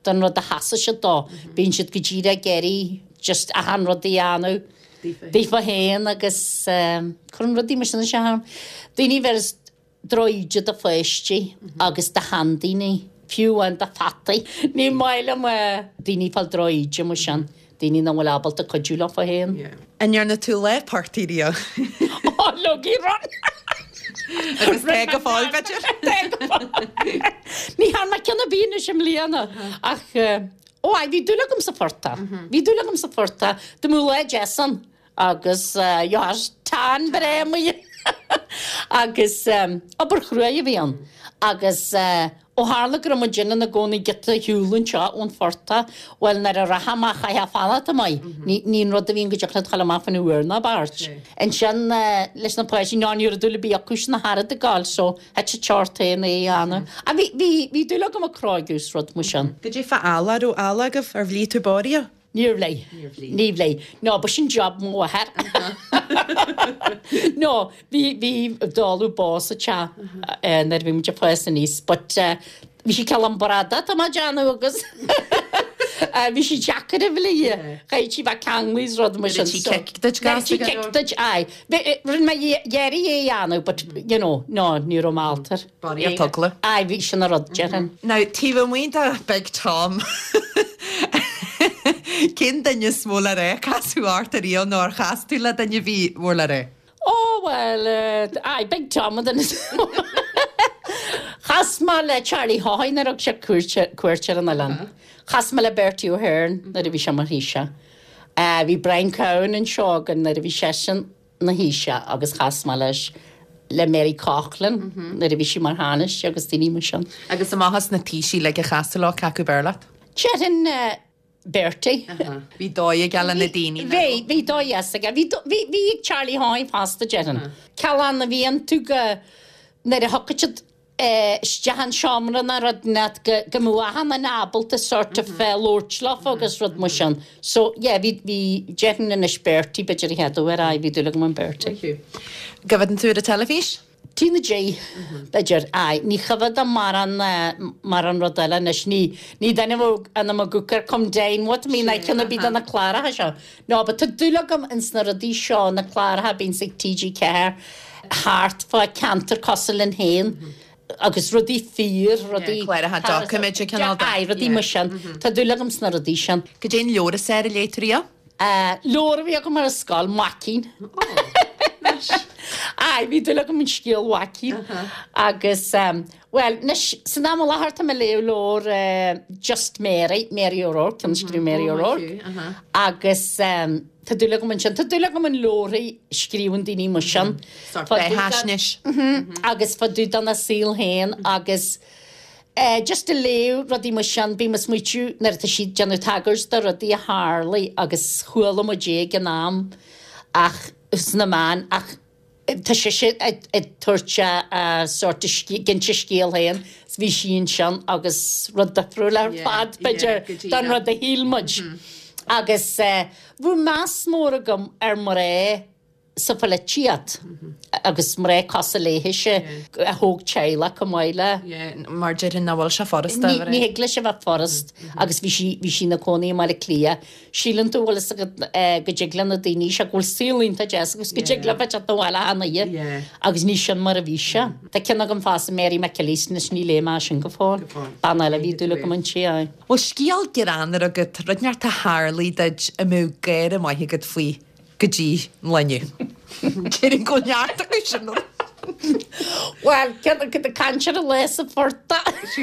don rud a sheasann siad dó. Bíonn siad go díreach ag iarraidh just achan rud a dhéanamh daofa féin agus cuireann rudaí mar sin isteach orm. Daoine a bheireas drochíde do pháistí agus do sheandaoine, fiú amháin do pheataí. Ní maith liom daoine ag fáil drochíde mar sin, daoine nach bhfuil ábalta cuidiú leofa féin. An ndearna tú lá portaigh riamh? Ó, leogaí run! Agus tá go fóill, b'fhéidir? Tá go fóill. Ní thearn mé ceann ar bith anois i mbliana ach ó aye, bhí dúil agam sa phortach. Bhí dúil agam sa phortach. Dá mbeadh lá deas ann agus gheobhthá tan breá amuigh. Agus obair chruaidh a bhí ann. Agus ó tharla go raibh muid ina gcónaí giota ar shiúl anseo ón phortach, bhuel nuair a rachadh amach chaithfeá fanacht amuigh. Ní ní an rud a bhíonn go dtiocfadh leat a ghabháil amach faoina uair ná beirt. Ansin leis na páistí, ná ní raibh dúil ar bith acu sin ach oiread ag gabháil so thit sé ort féin é a dhéanamh. Ach bhí bhí bhí dúil agam ag cróigeadh is rud mar sin. Goidé fá eallach, raibh eallach agaibh? Ar bhligh tú bó riamh? Níor bhligh. Níor bhligh. Ní bhligh. No, ba sin job mo mháthar. No, bhí, bhí dáileadh bó sa teach nuair a bhí muid ag fás aníos, but bhí sí cineál bradach, tá mé ag déanamh agus bhí sí deacair a bhligh. Chaithfeadh sí bheith ceanglaithe is rud mar sin. Rinne sí cic duit gasta go leor. Rinne sí cic duit, aye. Rinne mé iarraidh é a dhéanamh, but, you know, no, ní raibh mé ábalta. Barraíocht eagla. Aye, bhí sin an rud, déarfainn. Now, taobh amuigh de Big Tom, Cén duine is mó le rá a casadh ort ariamh nó ar chas tú le duine a bhí mór le rá? Ó, bhuel, aye, Big Tom an duine is mó. Chas mé le Charlie Haughey nuair a thug sé cuairt, cuairt ar an oileán. Chas mé le Bertie Ahern nuair a bhí sé mar Thaoiseach. Bhí Brian Cowen anseo againn nuair a bhí seisean ina Thaoiseach agus chas mé leis, le Mary Coughlan nuair a bhí sí mar Thánaiste agus daoine mar sin. Agus amach as na Taoisigh uilig a chas tú leo, cé acu b'fhearr leat? Déarfainn Bertie. Bhí dóigh aige le na daoine, nach raibh? Bhí, bhí dóigh dheas aige. Bhí, bhí, bhí ag Charlie Haughey fosta, déarfainn. Cineál a bhí iontu go, nuair a thiocfadh siad isteach an seomra ná rud inteacht go, go mbeadh achan duine ábalta sort of labhairt leofa agus rud mar sin. So, yeah, bhí, bhí, déarfainn anois Bertie, b'fhéidir a chéad uair, aye, bhí dúil agam in Bertie. Coimhéadann tú ar an teilifís? T na G, b'fhéidir, aye. Ní choimhéadaim mórán, mórán rud eile anois. Ní, ní duine a bheadh ionam ag amharc ar Come Dine With Me ná ceann ar bith de na cláracha seo. No, but tá dúil agam ins na rudaí seo, na cláracha a bhíonns ag T G ceathair thart fá ceantar cosúil linn féin agus rudaí fíor, rudaí... Cláracha doiciméide cineál de. Aye, rudaí mar sin. Tá dúil agam sna rudaí sin. Goidé an leabhar is fearr a léigh tú riamh? Leabhar a bhí agam ar an scoil, Maicín. Aye, bhí dúil agam in scéal Mhaicín. Agus, bhuel, anois, san am i láthair tá mé ag léamh leabhar Just Mary, Mary O'Rourke, ceann a scríobh Mary O'Rourke. Agus tá dúil agam ansin, tá dúil agam in leabharthaí a scríobhann daoine mar sin. Sórt beathaisnéis. Agus fá dtaobh dona saol féin agus just ag léamh rudaí mar sin, bím ag smaoitiú nuair atá siad ag déanamh tagairt do rudaí a tharlaigh agus chuala muid é ag an am ach sna meáin ach Tá sise ag tabhairt a sort ag inse a scéal féin is bhí sí ansin agus rud difriúil ar fad b'fhéidir don rud a shíl muid. Agus bhí meas mór agam ar mná sa pholaitíocht agus mná cosúil léithise a thóg teaghlach chomh maith le. Mar déarfainn nach bhfuil sé furasta. Ní thig leis a bheith furast agus bhí sí bhí sí ina cónaí i mBaile Átha Cliath. Síleann tú bhfuil fhios agat go dtig le na daoine seo go bhfuil saol iontach deas agus go dtig leo bheith teacht abhaile achan oíche agus ní sin mar a bhí sé. Tá ceann agam fosta Mary McAleese anois ní léigh mé sin go fóill. Bean eile a bhí dúil agam inti, aye. Bhfuil scéal greannmhar agat, rud inteacht a tharlaigh duit a mbeadh gáire maith agat faoi go dtí an lá inniu? Déarfainn go bhfuil neart acu sin. Bhuel, ceann acu ag caint ar an lá sa phortach.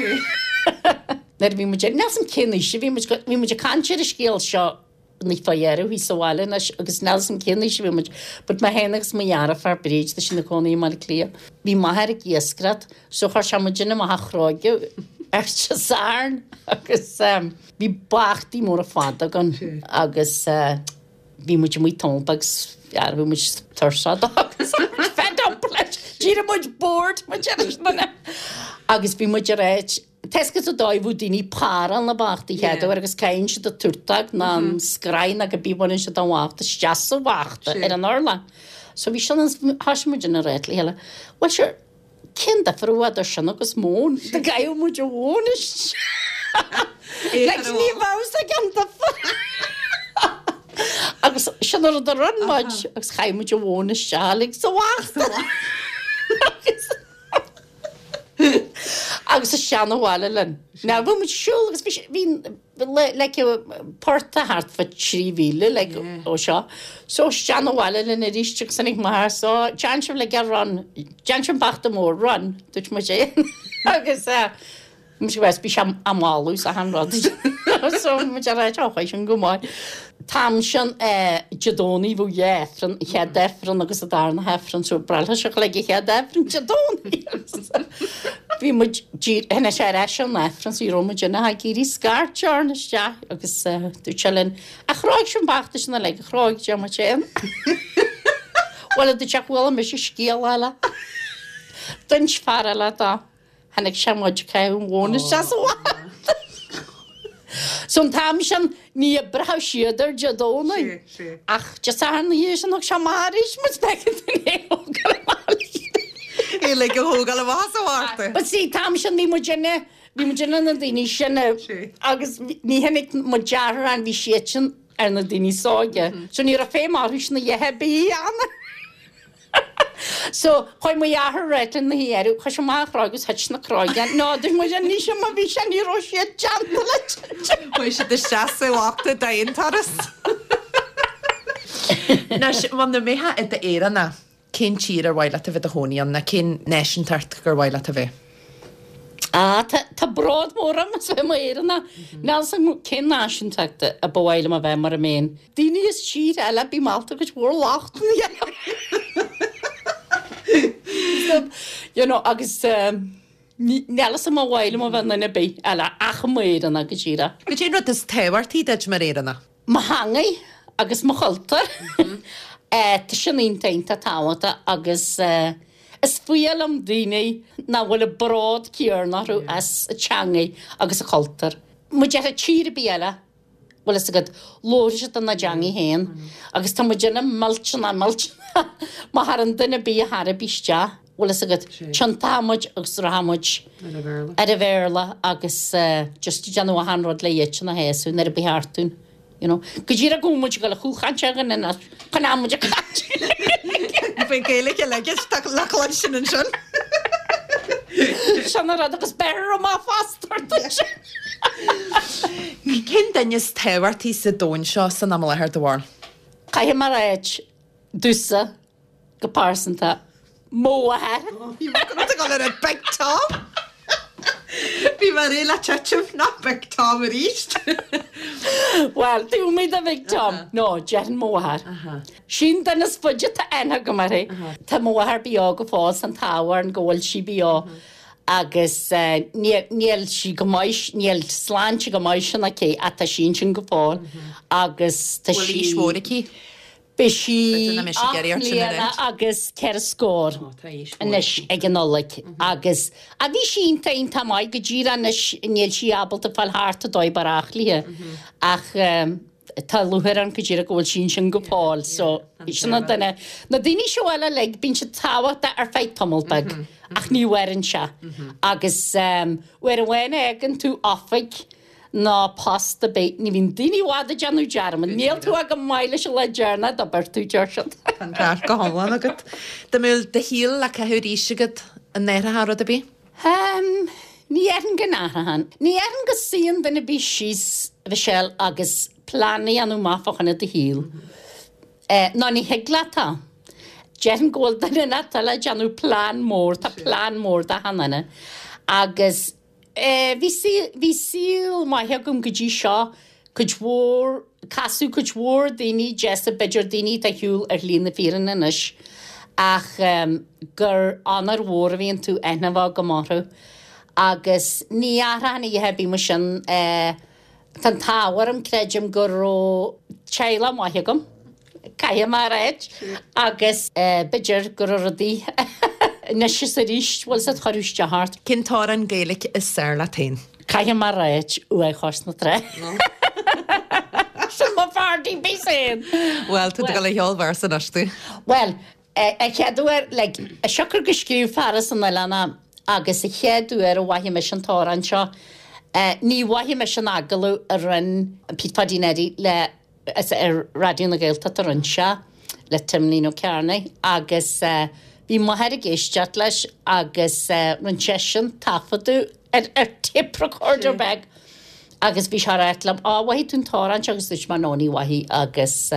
Nuair a bhí muid, níl 'fhios a'm cén aois a bhí muid, bhí muid ag caint ar an scéal seo ní fá dheireadh thíos sa bhaile anois agus níl 'fhios a'm cén aois a bhí muid, but mé féin agus mo dheartháir Bríd, tá sí ina cónaí i mBaile Átha Cliath, bhí m'athair ag iascaireacht so chuir sé muid amach a chróigeadh ar Dé Sathairn agus bhí bachtaí móra fada againn agus bhí muid amuigh tamall beag agus bhí muid tuirseach agus fed up leis, d'éirigh muid bored muid ar an agus bhí muid ar áit Tá 'fhios agat an dóigh a bhfuil daoine ag páráil na bachtaí chéad uair agus caitheann siad an túrtóg ná an scraith ná cibé baineann siad an bhachta isteach sa bhachta ar an urlár. So bhí sin thosaigh muid ina rá le chéile, bhuel sure, cén difear a bheadh idir sin agus móin? Dá gcaithfeadh muid an mhóin isteach. Like ní bheadh fhios ag an difear. Agus sin an rud a rinne muid agus chaith muid an mhóin isteach like sa bhachta. Agus isteach 'na bhaile linn. Now bhí muid ag siúl agus bhí bhí like portach thart fá trí mhíle like ó seo. So isteach 'na bhaile linn arís agus tháinig m'athair so déan sibh like a run, déan sibh an bachta mór run, dúirt muid é. Agus eh Muid west bhí sé á mhalu sa han rud. So muid ar á chuaigh sin go maith. T-am sin Dé Domhnaigh bhí dhá Aifreann, an chéad Aifreann agus an darna hAifreann, so breithe seo le chéad Aifreann Dé Domhnaigh. Bhí muid tháinig sé ar ais ón Aifreann so ní raibh muid ina ag iarraidh scairt orainn isteach agus dúirt sé linn, a chróigh sin bachta sin uilig, a chróigh Dé muid féin. Bhuel a dúirt sé chuala mise scéal eile. D'inis fear eile dó. Tháinig sé muid ag caitheamh an mhóin isteach sa bhachta. So an t-am sin ní oibreodh siad ar Dé Domhnaigh. Ach Dé Sathairn na dhiaidh sin thug sé amach arís muid b'éigean dúinn é a thógáil amach. É uilig a thógáil amach as an bhachta. But see, t-am sin bhí muid ina, bhí muid ina na daoine sin agus ní tháinig mo dheartháir ann, bhí siadsan ar na daoine is óige. So ní raibh feidhm orthu sin a dhath ar bith a dhéanamh. So, chuaigh mo dheartháir réidh lena dheireadh, chuir sé amach an chróg agus thit na cróga. No, dúirt muid an ní sin má bhí sé, ní raibh siad déanta le titim. Chuaigh siad isteach sa bhachta d'aon turas. Anois, muna mbeifeá i d'Éireannach, cén tír ar mhaith leat a bheith i do chónaí ann, nó cén náisiúntacht gur mhaith leat a bheith? Ah, tá, tá bród mór orm as bheith i m'Éireannach. Níl fhios agam cén náisiúntacht a ba mhaith liom a bheith mura mbeinn. Daoine as tír eile, bím ábalta cuid mhór lochtanna a dhéanamh. You know, agus níl fhios agam ar mhaith liom a bheith i nduine ar bith eile ach i m'Éireannach go díreach. Cad é an rud is tábhachtaí duit mar Éireannach? Mo theangaidh agus mo chultúr. Tá sin iontach iontach tábhachtach agus Is fuath liom daoine nach bhfuil an bród céanna orthu as a teangaidh agus a chultúr. Má déarfá tír ar bith eile, bhfuil fhios agat, labhrann siad ina dteangaidh féin agus tá muid ina millteanach millteanach má tharann duine ar bith a chor ar bith isteach, bhfuil fhios agat, tiontóidh muid agus rachaidh muid ar an Bhéarla agus just ag déanamh achan rud le iadsan a shásamh nuair a ba cheart dúinn. You know, go díreach go bhfuil muid ag dul a chúlchaint againn in áit chun am muid ag caint. Bhí Gaeilge aige le cluinstin ansin. Sin an rud agus beir amach fosta ort ansin. Cén duine is tábhachtaí sa domhan seo san am i láthair, do bharúil? Caithfidh mé a ráit, domhsa, Go pearsanta, mo mháthair. Bhí mé ag dul ar an Big Tom! Bhí mé réidh le titim, nach Big Tom arís! Bhuel, taobh amuigh de Bhig Tom. No, déarfainn mo mháthair. Sí an duine is faide atá aithne agam uirthi. Tá mo mháthair beo go fóill, tá an t-ádh orainn go bhfuil sí beo agus níl sí go maith, níl sláinte go maith sin aici ach tá sí ansin go fóill agus tá sí. Bhfuil aois mhór aici? Beidh sí ocht mbliana agus ceithre scór anois ag an Nollaig agus a bhí sí iontach iontach maith go díreach anois níl sí ábalta fáil thart a dóigh barrach léi ach tá lúcháir orm go díreach go bhfuil sí ansin go fóill so sin an duine na daoine seo eile like bíonn siad tábhachtach ar feadh tamall beag ach ní mhaireann sé agus uair amháin a fhágann tú oifig ná post ar bith, ní bhíonn daoine i bhfad ag déanamh dearmad, níl tú ach chomh maith leis an lá deireanach d'obair tú, deir siad. Tá an ceart go hiomlán agat. Dá mbeadh do shaol le caitheamh arís agat, an n-athrófá rud ar bith? Ehm, ní dhéarfainn go n-athróinn. Ní dhéarfainn go suíonn duine ar bith síos, a Mhichelle, agus plean a dhéanamh amach fá choinne do shaoil. Eh, ná ní thig leat é. Déarfainn go bhfuil duine inteacht eile ag déanamh plean mór, tá plean mór d'achan duine. Agus Bhí bhí saol maith agam go dtí seo, cuid mhór, casadh cuid mhór daoine deasa, b'fhéidir daoine atá ar shiúl ar shlí na fírinne anois, ach gur onóir mhór a bhíonn tú aithne a bheith agam orthu. Agus ní athróinn a dhath ar bith mar sin, tá an t-ádh orm, creidim go raibh teaghlach maith agam. Caithfidh mé a ráit agus b'fhéidir go raibh rudaí anois is arís, bhfuil siad chuir isteach ort. Cén t-amhrán Gaeilge is fearr leat féin? Caithfidh mé a ráit, Uaigh Chois na Trá. Sin mo pháirtí féin. Bhuel, tá tú ag dul a cheol véarsa anois tú. Bhuel, a chéad uair, like, siocair go scríobh fear as an oileán é agus a chéad uair a mhothaigh mise an t-amhrán seo, ní mhothaigh mise an agallamh a rinne Pete Pháidín Eddie le Is ar Raidió na Gaeltachta a rinne sé le Timlín Ó Cearnaigh agus bhí m'athair ag éisteacht leis agus rinne seisean taifeadadh ar ar tape recorder beag agus bhí sé ag ráit liom, Á, mhothaigh tú an t-amhrán seo agus dúirt mé no ní mhothaigh agus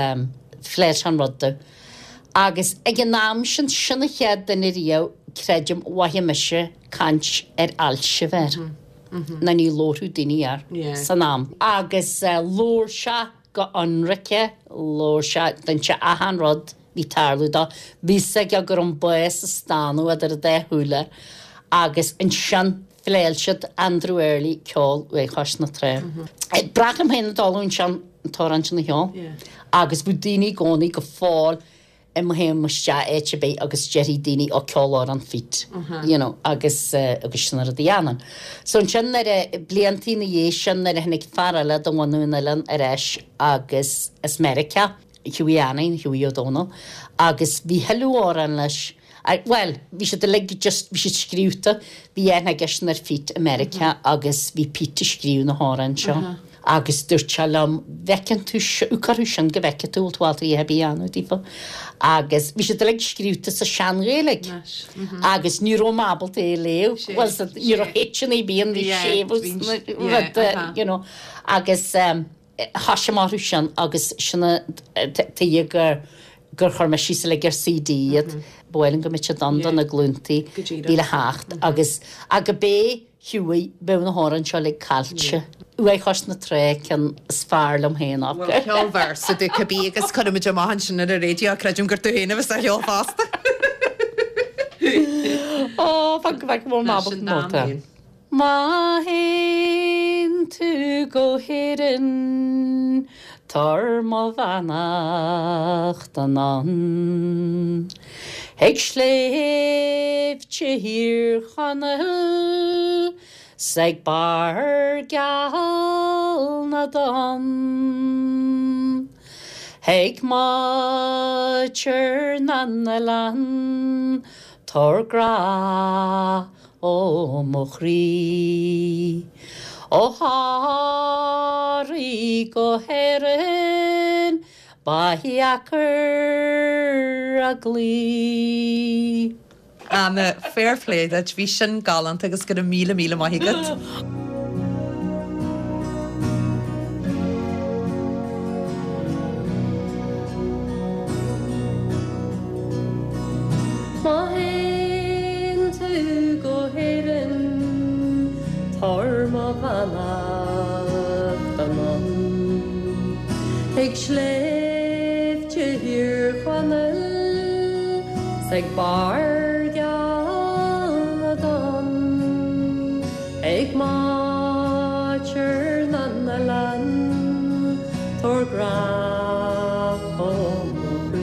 phléigh sé an rud domh. Agus ag an am sin, sin an chéad duine riamh, creidim, mhothaigh mise caint ar ailse a bheith air. Ná ní labharfadh daoine air san am. Agus labhair sé go hionraice, labhair sé, d'inis sé achan rud bhí ag tarlú dó. Bhí fhios aige go raibh an bás ag stánadh idir a dá shúile agus ansin phléáil siad Andrew Earley ceol Uaigh Chois na Trá. B'bhreá liom féin a dul ansin an t-amhrán sin a cheol agus bhí daoine i gcónaí go fóill i mo théim isteach áit ar bith agus déarfaidh daoine ó ceol amhrán Phete you know agus agus sin an rud a dhéanaim. So ansin nuair a, bliantaí ina dhiaidh sin nuair a tháinig fear eile de bhunadh an oileáin ar ais agus as Meiriceá, Hughie Annie, Hughie Ó Dónaill, agus bhí thuilleadh amhrán leis, bhuel bhí siad uilig just, bhí siad scríobhta, bhí aithne aigesean ar Phete i Meiriceá agus bhí Pete ag scríobh na hamhráin seo. Agus dúirt sé liom, bhfeiceann tú, cuirfidh sin go bhfeicfidh tú, bhfuil tú ábalta a dhath ar bith a dhéanamh daofa. Agus bhí siad uilig scríobhta sa Sean-Ghaeilge agus ní raibh mé ábalta é a léamh, bhuel, ní raibh H-anna ar bith ann, bhí séimhiú sna rudaí, you know. Agus thosaigh mé orthu sin agus sin an tuige gur gur chuir mé síos uilig ar C D iad. Ba mhaith liom go mbeadh siad ann do na glúntaí a bhí le theacht agus agus b'é Hughie, bheadh na hamhráin seo uilig caillte. Uaigh Chois na Trá ceann is fearr liom féin acu. Bhuel, ceol véarsa de cibé agus cuirfimid amach ansin ar an raidió, creidim gur tú féin a bheas á cheol fosta. Ó, fan go bhfeicfidh mé an ábalta nóta. Má théann tú go hÉirinn, tabhair mo bheannacht anonn. Chuig sléibhte Thír Chonaill 's ag barr geal na dtonn. Chuig maidhc na n-oileán tabhair grá ó mo chroí. Ó Thoraí go hÉirinn Ba dheacair a gcloí. Anna, fair play duit, bhí sin galánta agus go raibh míle míle maith agat. Má théann tú go hÉirinn, tabhair mo bheannacht anonn. Chuig sléibhte Thír Chonaill 's ag barr geal na dtonn. Chuig máistir na n-oileán, tabhair grá ó mo chroí.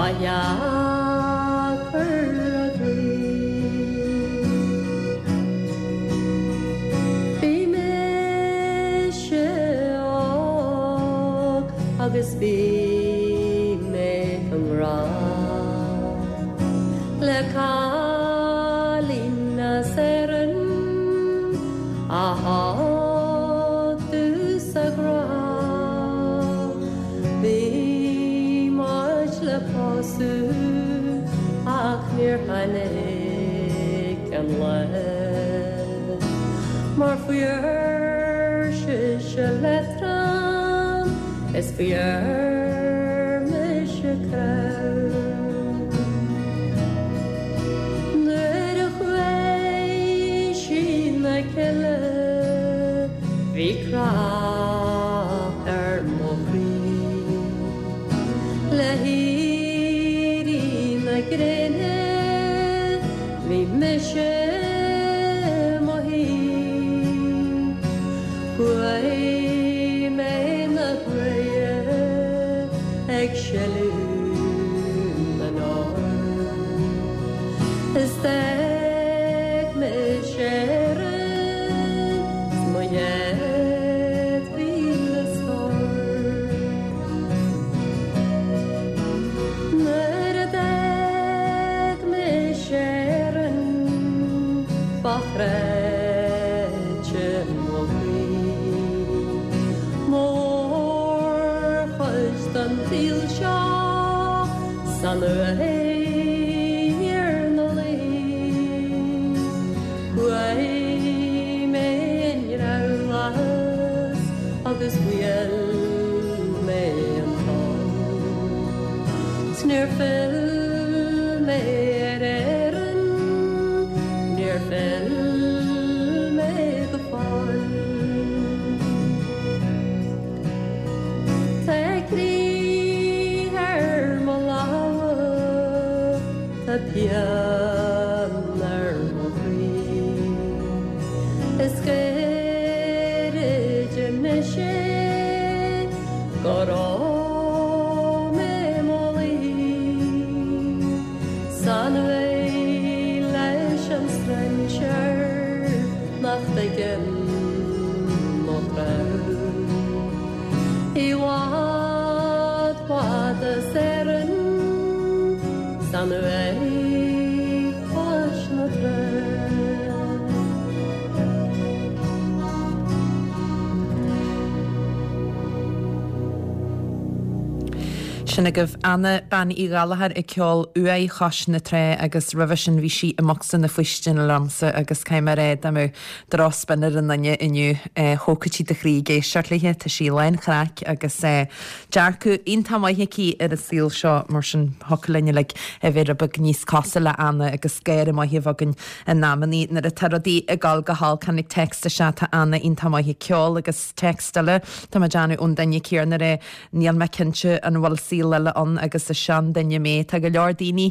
Ba dheacair a gcroí. Bhí mise óg agus bhí mé i ngrá le cailín as Éirinn a thug tús a grá. Bhí muid le pósadh ach níor tháinig an lá mar fuair sise leadrán is fuair mise crá. Nuair a chuaigh sí 'na cille bhí crá ar mo chroí le héirí na gréine bhí mise i mo shuí. Chuaigh mé 'na buille ag sileadh na n-ór is d'fhág mise Éirinn 's mo dheich mhíle stór. Nuair a d'fhág mise Éirinn ba chreidte mo chroí. Mórchuid den tsaol seo san uaigh ina luí. Chuaigh mé i nDreabhlas agus bhuail mé an tonn. 'S níor phill mé ar Éirinn, níor phill mé go fóill. Tá croí ar mo lámha, tá pian ar mo chroí. Is gairid anois é go raibh mé i mo luí. San uaigh leis an strainséir nach dtuigeann mo chrá. I bhfad, bhfad as Éirinn, san uaigh cois na trá. Sin agaibh Anna Bean Uí Ghallchóir ag ceol Uaigh Chois na Trá agus roimhe sin bhí sí i mbocsa na faoistine liomsa agus caithfidh mé a rá dá mbeadh drochspin ar an duine inniu thógfadh sí do chroí ag éisteacht léi, tá sí lán chraic agus dearcadh iontach maith aici ar an saol seo mar sin thiocfadh linn uilig a bheith rud beag níos cosúil le Anna agus gáire maith a bheith againn in amannaí nuair atá rudaí ag dul go holc tháinig text isteach tá Anna iontach maith ag ceol agus text eile tá mé ag déanamh ón duine céanna a rá níl mé cinnte an bhfuil saol eile ann agus is seanduine mé. Tá go leor daoine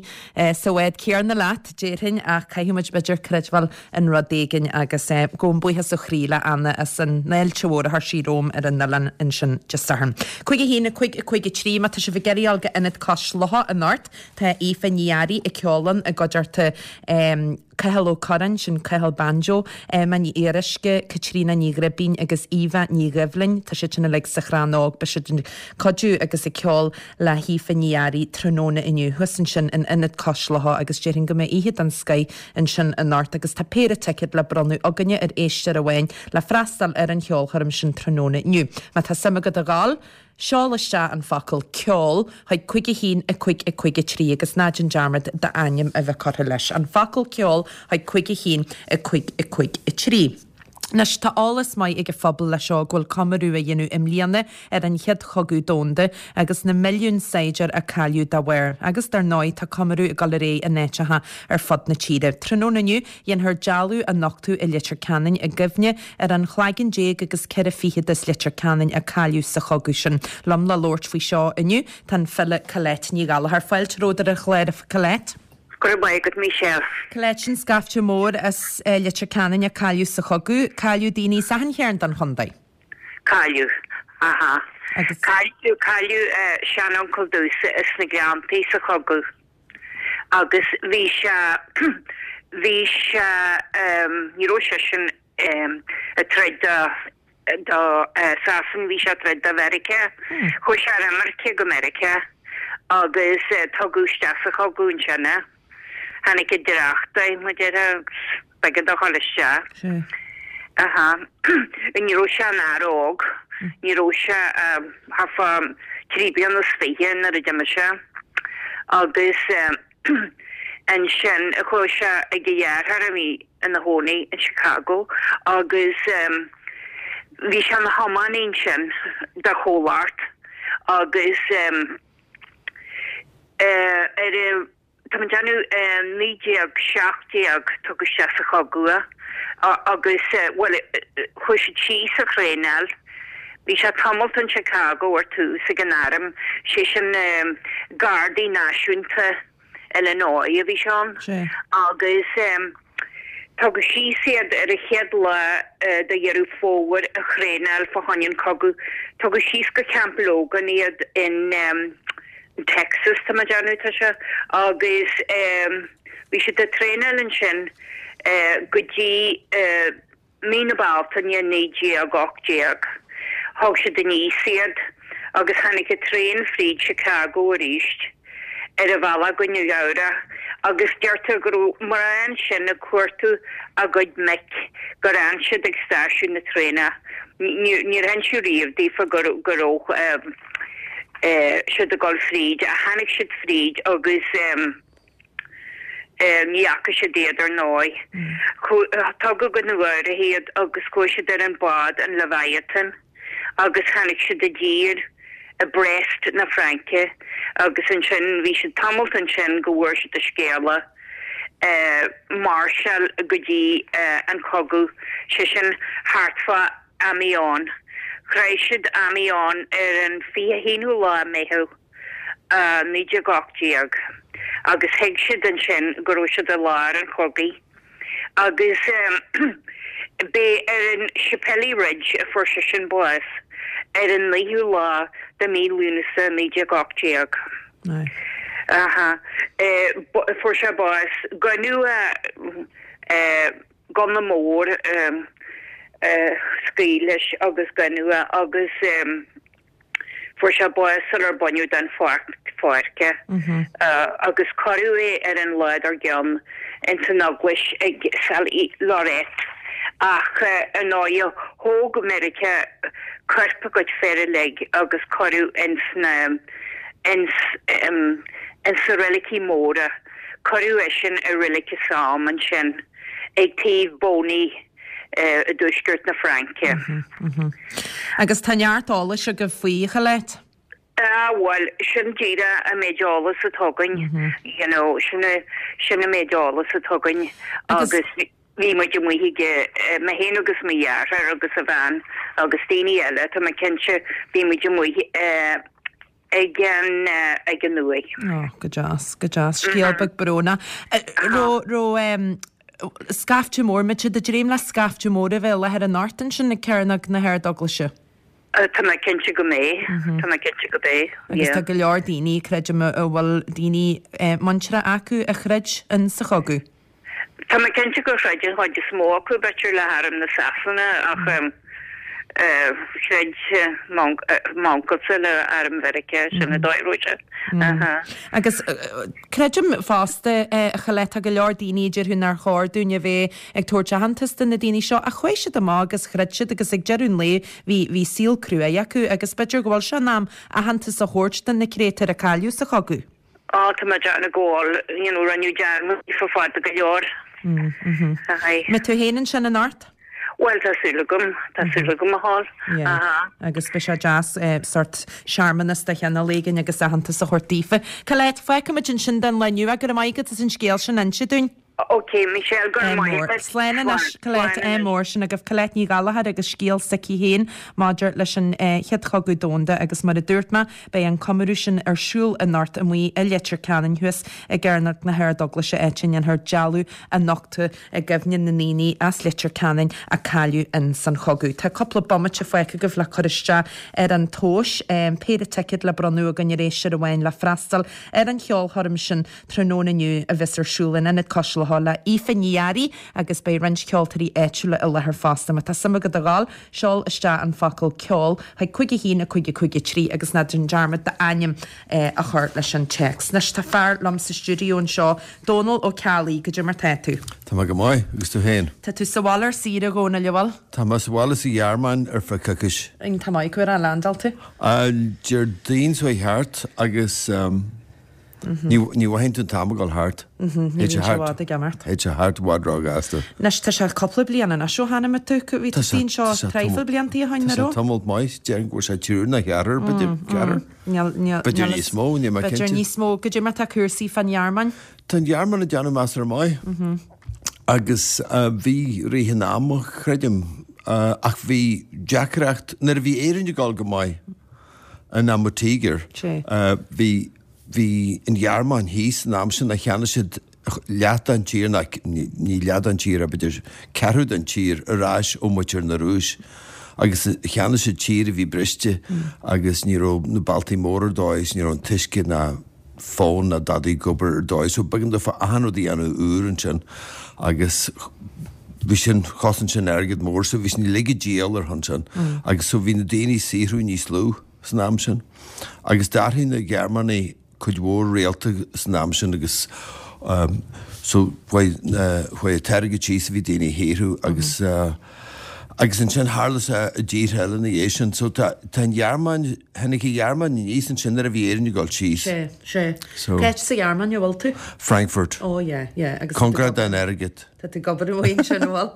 sa bhád céanna leat déarfainn ach caithfidh muid b'fhéidir creidbheáil in rud éigin agus gabhaim buíochas ó chroí le Anna as an fháilte mhór a chuir sí romham ar an oileán ansin Dé Sathairn. Cúig a haon a cúig a cúig a trí má tá sibh ag iarraidh dul go Ionad Cois Locha anocht tá Aoife Ní Fhearraigh ag ceol ann i gcuideachta Cathal Ó Curráin, sin Cathal Banjo, Emma Ní Fhíoruisce, Caitríona Ní Ghribín agus Eva Ní Dhoibhlin. Tá siad sin uilig sa Chrann Óg, beidh siad ag cuidiú agus ag ceol le hAoife Ní Fhearraigh tráthnóna inniu thuas ansin in Ionad Cois Locha agus déarfainn go mbeidh oíche den scoith ansin anocht agus tá péire ticéad le bronnadh againne ar éisteoir amháin le freastal ar an cheolchoirm sin tráthnóna inniu. Má tá suim agat a ghabháil, Seol isteach an focal ceol chuig cúig a haon a cúig a cúig a trí agus ná déan dearmad d'ainm a bheith curtha leis. An focal ceol chuig cúig a haon a cúig a cúig a trí. Anois tá eolas maith ag an phobal leis seo go bhfuil comóradh á dhéanamh i mbliana ar an Chéad Chogadh Domhanda agus na milliúin saighdiúir a cailleadh dá bharr. Agus dar ndóigh tá comóradh ag dul ar aghaidh in áiteacha ar fud na tíre. Tráthnóna inniu dhéanfar dealbh a nochtadh i Leitir Ceanainn i gcuimhne ar an chlaigeann déag agus ceithre fichead as Leitir Ceanainn a cailleadh sa chogadh sin. Liom le labhairt faoi seo inniu tá an file Colette Ní Ghallchóir. Fáilte romhat ar an chlár a Colette. Go raibh maith agat, Michelle. Colette, sin scaifte mór as Leitir Ceanainn a cailleadh sa chogadh. Cailleadh daoine as achan chearn den chontae. Cailleadh. Aha. Agus. Cailleadh cailleadh seanuncail domhsa sna Gleanntaí sa chogadh agus bhí sé bhí sé ní raibh seisean ag troid do do Sasana bhí sé ag troid do Mheiriceá. Chuaigh sé ar imirce go Meiriceá agus tugadh isteach sa chogadh ansin é. Tháinig i dtrácht é, mar a déarfá, agus b'éigean dó dhul isteach. Sea. Aha. Ní raibh sé ina fhear óg. Ní raibh sé thart fá trí bliana is fiche nuair a d'imigh sé. Agus ansin chuaigh sé ag a dheartháir a bhí ina chónaí in Chicago agus bhí sé ina thiománaí ansin do chomhlacht agus ar a Tá mé ag déanamh naoi déag seacht déag tugadh isteach sa chogadh é agus bhuel chuaigh siad síos a thraenáil. Bhí sé tamalt in Chicago ar tús ag an arm, sé sin Gardaí Náisiúnta Illinois a bhí sé ann agus tugadh síos iad ar an chéad lá de Dheireadh Fómhair a thraenáil fá choinne an chogadh. Tugadh síos go Camp Logan iad in Texas, tá mé ag déanamh, tá sé, agus bhí siad ag traenáil ansin go dtí mí na Bealtaine naoi déag ocht déag. Thóg siad aníos iad agus tháinig an traein fríd Chicago arís ar a bhealach go Nua Eabhrac agus deirtear go raibh mná ansin ag cuartú a gcuid mic gur fhan siad ag stáisiún na traenach. Níor hinsíodh riamh daofa go raibh siad ag dul fríd ach tháinig siad fríd agus ní fhaca siad iad ar ndóigh. Tugadh go Nua Eabhrac iad agus chuaigh siad ar an bád an Leviathan agus tháinig siad i dtír i Brest na Fraince agus ansin bhí siad tamalt ansin go bhfuair siad an scéala máirseáil go dtí an cogadh, sé sin thart fá Amiens. Shroich siad Amiens ar an fiche haonú lá Meitheamh naoi déag ocht déag agus thuig siad ansin go raibh siad i lár an chogaidh agus b'é ar an Chapelle Ridge a fuair seisean bás ar an naoú lá de mí Lúnasa naoi déag ocht déag. Aha. Fuair sé bás. Goineadh gunna mór scaoil leis agus goineadh é agus fuair sé bás sular baineadh den pháirc é agus cuireadh é ar an lá dár gcionn ins an eaglais ag Saint-Lorette ach ar ndóigh thóg Meiriceá coirp a gcuid fear uilig agus cuireadh ins na ins ins na reilicí móra cuireadh eisean i reilig i Somme ansin ag taobh Boney i dtuaisceart na Fraince. Agus tá neart eolais agaibh faoi, a Cholette? Ah, bhuel, sin díreach an méid eolais atá againn, you know, sin sin an méid eolais atá againn agus bhí muid amuigh aige, mé féin agus mo dheartháir agus a bhean agus daoine eile, tá mé cinnte, bhí muid amuigh ag an ag an uaigh. Oh, go deas, go deas. Scéal beag brónach. Raibh raibh scaifte mór, mbeidh siad ag dréim le scaifte mór a bheith i láthair anocht ansin ag Cearnóg na hArdeaglaise? Tá mé cinnte go mbeidh, tá mé cinnte go mbeidh, Agus yeah. tá go leor daoine, creidim, a bhfuil daoine muinteartha acu a throid in sa chogadh. Tá mé cinnte gur throid an chuid is mó acu, b'fhéidir, le harm na Sasana ach throid m'uncailte le arm Mheiriceá, sin an dóigh a raibh sé. Agus creidim fosta, a Cholette, tá go leor daoine a déarfadh nár chóir dúinn a bheith ag tabhairt aitheantas do na daoine seo ach chuaigh siad amach agus throid siad agus ag deireadh an lae bhí bhí saol cruaidh acu agus b'fhéidir go bhfuil sé in am aitheantas a thabhairt do na créatúir a cailleadh sa chogadh. Á, tá mé ag déanamh go bhfuil, you know, rinneadh dearmad daofa fada go leor. Aye. Mbeidh tú féin ansin anocht? Bhuel, tá súil agam, tá súil agam a ghabháil. Yeah. Aha. Agus beidh sé deas sort searmanas de chineál éigin agus aitheantas a thabhairt daofa. Colette, fágfaimid ansin don lá inniu. Go raibh maith agat as an scéal sin a inse dúinn. Ok, Michelle, go raibh maith agat. Slán anois Colette ádh mór sin agaibh Colette Ní Ghallchóir agus scéal s'aici féin maidir leis an Chéad Chogadh Domhanda agus mar a dúirt mé beidh an comóradh sin ar siúl anocht amuigh i Leitir Ceanainn thuas i gCearnóg na hArdeaglaise áit a ndéanfar dealbh a nochtadh i gcuimhne na ndaoine as Leitir Ceanainn a cailleadh in san chogadh. Tá cúpla bomaite fágtha agaibh le cur isteach ar an tomhas, péire ticéad le bronnadh againn ar éisteoir amháin le freastal ar an cheolchoirm sin tráthnóna inniu a bheas ar siúl in Ionad Cois Locha le Aoife Ní Fhearraigh agus beidh roinnt ceoltóirí áitiúla i láthair fosta. Má tá suim agat a ghabháil, seol isteach an focal ceol chuig cúig a haon a cúig a cúig a trí agus ná déan dearmad d'ainm a chur leis an téacs. Anois tá fear liom sa stiúideo anseo, Dónal Ó Ceallaigh, goidé mar tá tú? Tá mé go maith, agus tú féin? Tá tú sa bhaile ar saoire, a Dhónaill, an bhfuil? Tá mé sa bhaile sa Ghearmáin ar feadh coicís. Tá maith, cá huair a landáil tú? Déardaoin seo thart agus Ní mhothaíonn tú an t-am ag dul thart. Ní bhíonn sé i bhfad ag imeacht. Théid sé thart i bhfad róghasta. Anois tá sé cúpla bliain anois ó tháinig tú, bhí tú anseo traidhfil bliantaí ó shin, an raibh? Tá sé tamall maith, déarfainn go bhfuil sé triúr nó ceathrar, b'fhéidir ceathrar. B'fhéidir níos mó, níl mé cinnte. B'fhéidir níos mó. Goidé mar tá cúrsaí fán Ghearmáin? Tá an Ghearmáin ag déanamh measartha maith. Agus bhí rith an ama, creidim, ach bhí deacracht, nuair a bhí Éirinn ag dul go maith in am an Tíogair, bhí Bhí an Ghearmáin thíos an am sin a cheannaigh siad leath den tír, ná ní leath den tír, b'fhéidir ceathrú den tír ar ais ó mhuintir na Rúis. Agus cheannaigh siad tír a bhí briste agus ní raibh na bealtaí móra ar dóigh is ní raibh an t-uisce ná fón ná dadaí ag obair ar dóigh. So b'éigean daofa achan rud a dhéanamh úr ansin agus bhí sin, chosain sin airgead mór so bhí sin uilig ag díol ar shon sin. Agus so bhí na daoine ag saothrú níos lú. san am sin. Agus d'athraigh na Gearmánaigh cuid mhór rialta san am sin agus so chuaigh chuaigh an t-airgead síos a bhí daoine a shaothrú agus agus ansin tharla sé i dtíortha eile ina dhiaidh sin. So tá tá an Ghearmáin, tháinig an Ghearmáin aníos ansin nuair a bhí Éirinn ag dul síos. Sé, sé. So. Cá háit sa Ghearmáin a bhfuil tú? Frankfurt. Oh yeah, yeah. Agus tá tú Cóngarach don airgead. Tá tú ag obair amuigh ansin, an bhfuil?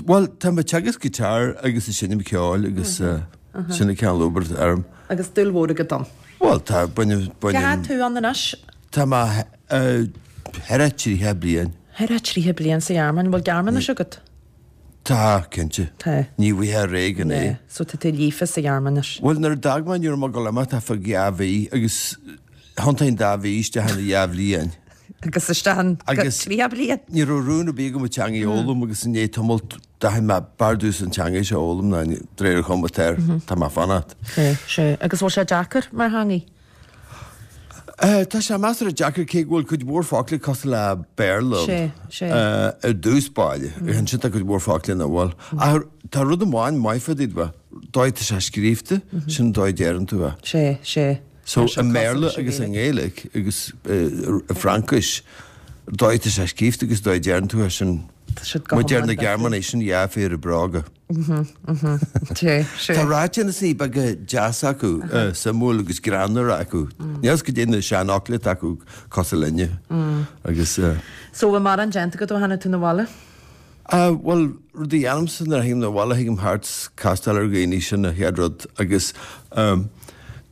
Bhuel, tá mé ag teagasc guitar agus ag seinm ceoil agus sin an cineál obair atá orm. Agus dúil mhór agat ann. Bhuel, tá, bainim, Cá bainim. fhad tú ann anois? Tá mé thar a tríocha bliain. Thar a tríocha bliain sa Ghearmáin. Bhfuil Gearmáinis agat? Tá, cinnte. Tá. Ní bhfaighfeá réidh gan é. Yeah, so tá tú líofa sa Ghearmáinis. Bhuel, nuair a d'fhág mé, ní raibh mé ag dul imeacht ach feadh dhá mhí agus thiontaigh an dá mhí isteach ina dhá bhliain. Agus isteach in tríocha bliain. Ní raibh rún ar bith agam an teanga a fhoghlaim agus i ndiaidh tamaill d'aithin mé b'fhearr domhsa an teanga seo a fhoghlaim ná de réir an chuma atá air, tá mé ag fanacht. Sea, sea. Agus bhfuil sé deacair mar theangaidh? Tá sé measartha deacair cé go bhfuil cuid mhór focla cosúil le Béarla Sea, sea. ar dtús báire. Ansin tá cuid mhór focla nach bhfuil. Ach tá rud amháin maith fá dtaobh de, dóigh atá sé scríofa, sin an dóigh a deireann tú é. Sea, sea. So, i mBéarla agus i nGaeilge agus i bhFraincis, dóigh atá sé scríofa agus dóigh a deireann tú é sin, mar deir na Gearmánaigh, sin dhá phéire bróga. Tá ráiteanna beaga deasa acu, suimiúil agus greannmhar acu. Níl a fhios goidé na seanfhocla atá acu cosúil linne agus. So, bhfuil mórán déanta agat ó tháinig tú 'na bhaile? Bhuel, rud a dhéanaimse nuair a thagaim 'na bhaile, thagaim thart 's castáil ar dhaoine, sin an chéad rud agus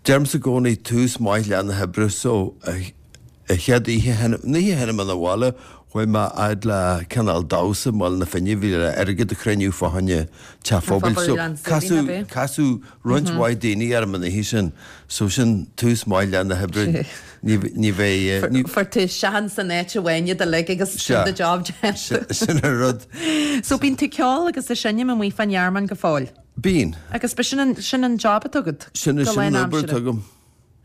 deirimse i gcónaí tús maith leath na hoibre so an chéad oíche, an oíche a tháinig mé 'na bhaile chuaigh mé fhad le cineál damhsa i mBaile na Finne, bhí le airgead a chruinniú fá choinne teach phobail so casadh, casadh roinnt mhaith daoine orm an oíche sin so sin tús maith leath na hoibre, ní, ní bheidh, ní. Fuair tú seans san áit amháin iad uilig agus sin do job déanta. Sin an rud. So bíonn tú ag ceol agus ag seinm amuigh fán Ghearmáin go fóill? Bíonn. Agus ba sin an, sin an job atá agat? Sin, Go sin an obair lánaimseartha? atá agam.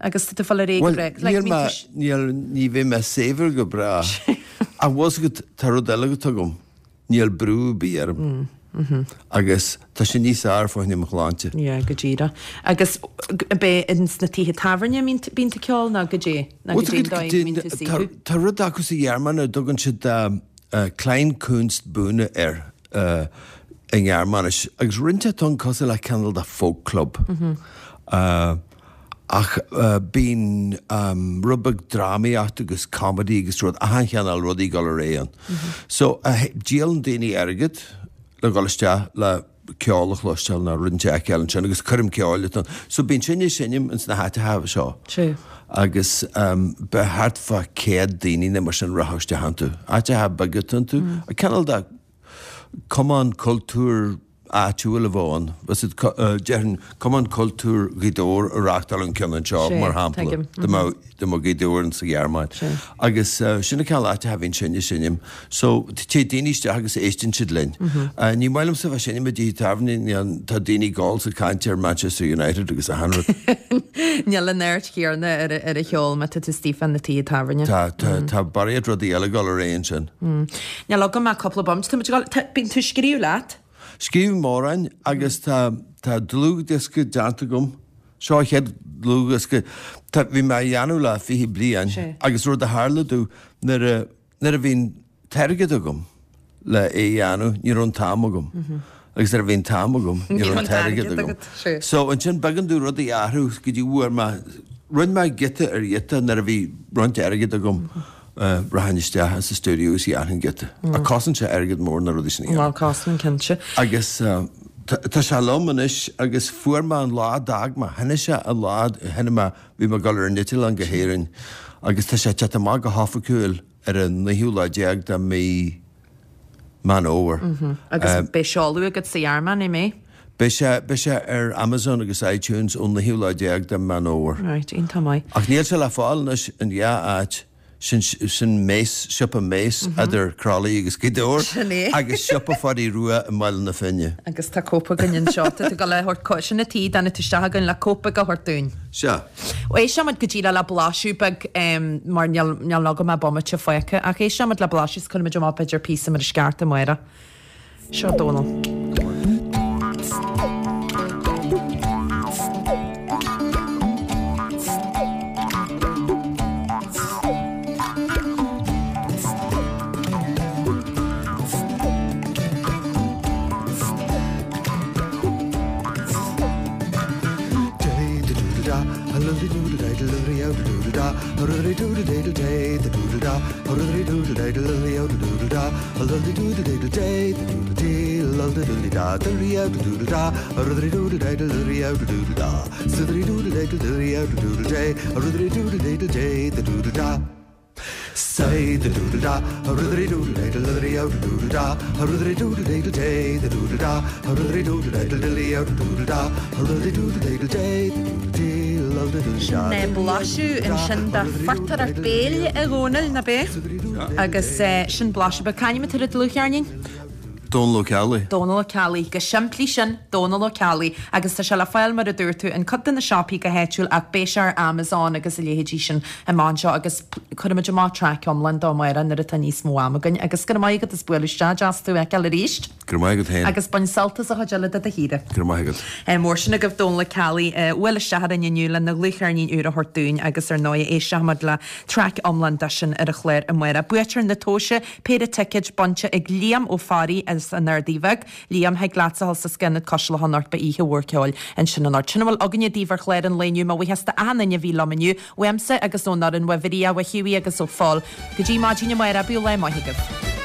Agus tá tú ag fáil ar aghaidh go Bhuel, breá. Like, níl bíonn mé, tú. níl, ní bheidh mé saibhir go bráth. Ach bhfuil fhios agat, tá rud eile atá agam, níl brú ar bith orm. Agus tá sé níos fearr fá choinne mo shláinte. Yeah, go díreach. Agus ab é ins na tithe tábhairne a mbíonn bíonn tú ag ceol nó goidé, nó Bhfuil goidé an fhios agat, dóigh a goidé, mbíonn tú ag tá, saothrú? tá rud acu sa Ghearmáin a dtugann siad Kleinkunstbühne air. i nGearmáinis, agus roinnt atá ann cosúil le cineál de folk club. Ach bíonn rud beag drámaíocht agus comedy agus rud, achan chineál rudaí ag dul ar aghaidh ann. So, díolann daoine airgead le dhul isteach le ceol a chloisteáil nó rud inteacht a fheiceáil ansin agus coirm ceoil atá ann. So bíonn sinne ag seinm ins na háiteacha seo. Sea. Agus beidh thart fá céad daoine nó mar sin rachadh isteach iontu. Áiteacha beaga atá iontu. Cineál de cumann cultúir áitiúil a bheadh ann. Bheadh siad, déarfainn, Cumann Cultúir Ghaoth Dobhair a reáchtáil an ceann anseo, mar shampla, dá mbeadh dá mbeadh Gaoth Dobhair sa Ghearmáin. Agus sin an cineál áiteacha a bhíonn sinne ag seinm. So, téann daoine isteach agus éisteann siad linn. Ní maith liomsa bheith ag seinm i dtithe tábhairne, níl, tá daoine ag gol is ag caint ar Manchester United agus achan rud. Níl an aird chéanna ar ar an cheol má tá tú istigh fá na tithe tábhairne. Tá, tá, tá barraíocht rudaí eile ag dul ar aghaidh ansin. Níl agam ach cúpla bomaite, tá muid ag dul, tá, bíonn tú ag scríobh leat? Scríobhaim amhráin agus tá, tá dlúthdhiosca déanta agam. Seo an chéad dlúthdhiosca. Tá, bhí mé á dhéanamh le fiche bliain agus rud a tharla domh nuair a, nuair a bhí an t-airgead agam le é a dhéanamh, ní raibh an t-am agam. Agus nuair a bhí an t-am agam, ní raibh an t-airgead agam. So ansin b'éigean domh rudaí a athrú go dtí bhfuair mé, rinne mé giota ar ghiota nuair a bhí roinnt airgid agam. Rachainn isteach sa stiúideo is dhéanfainn giota. Ach cosnaíonn sé airgead mór na rudaí sin a dhéanamh. Bhuel, cosnaíonn, cinnte. Agus tá sé liom anois agus fuair mé an lá a d'fhág mé. Tháinig sé an lá a tháinig mé, bhí mé ag dul ar an eitleán go hÉirinn agus tá sé ag teacht amach go hoifigiúil ar an naoú lá déag de mhí Meán Fhómhair. Agus beidh seoladh agat sa Ghearmáin, an mbeidh? Beidh sé, beidh sé ar Amazon agus iTunes ón naoú lá déag de Meán Fhómhair. Right, iontach maith. Ach níl sé le fáil anois in dhá áit, sin, sin Mace, siopa Mace idir Crolly agus Gaoth Dobhair. Sin é. Agus siopa Pháidí Rua i mBaile na Finne. Agus tá cóip againn anseo, tá tú ag dul a thabhairt, sin an tuige a dtáinig tú isteach againn le cóip beag a thabhairt dúinn. Sea. Éistfimid go díreach le blaiseadh beag mar níl, níl agam ach bomaite fágtha ach éistfimid le blaiseadh is cuirfimid amach b'fhéidir píosa mar is ceart amárach. Seo Dónal. Say the doodle da, a ruddery doodle diddle diddly out doodle da, a ruddery doodle diddle day, the doodle da, a ruddery doodle diddle diddly out doodle da, a ruddery doodle diddle day, the doodle dee, lull diddle Sin da. blaiseadh ansin de phortaireacht béil a Dhónaill, nach ea? Agus sin blaiseadh beag. C'ainm atá ar an dlúthcheirnín? Dónal Ó Ceallaigh. Dónal Ó Ceallaigh. Go simplí sin, Dónal Ó Ceallaigh. Agus tá sé le fáil, mar a dúirt tú, in cuid de na siopaí go háitiúil ach beidh sé ar Amazon agus a leithéidí sin amach anseo agus cuirfimid amach traic iomlán dó amárach nuair atá níos mó am againn. Agus go raibh maith agat as bualadh isteach, deas tú a fheiceáil arís. Go raibh maith agat féin. Agus bain sult as an chuid eile de do shaoire. Go raibh maith agat. Mór sin agaibh Dónal Ó Ceallaigh a bhuail isteach orainn inniu lena dhlúthcheirnín úr a thabhairt dúinn agus ar ndóigh éistfimid le traic iomlán de sin ar an chlár amárach. Buaiteoir na tomhaise, péire ticéid bainte ag Liam Ó Fearraigh as an Ardaidh Bheag. Liam, thig leatsa a dhul sa Scanad Cois Locha anocht beidh oíche mhór ceoil ansin anocht. Sin a bhfuil againne daoibh ar chlár an lae inniu. Mo bhuíochas d'achan duine a bhí liom inniu, uaimse agus ón fhoireann, uaidh Mharia, uaidh Hughie agus ó Phól. Go dtí maidin amárach, bíodh lá maith agaibh.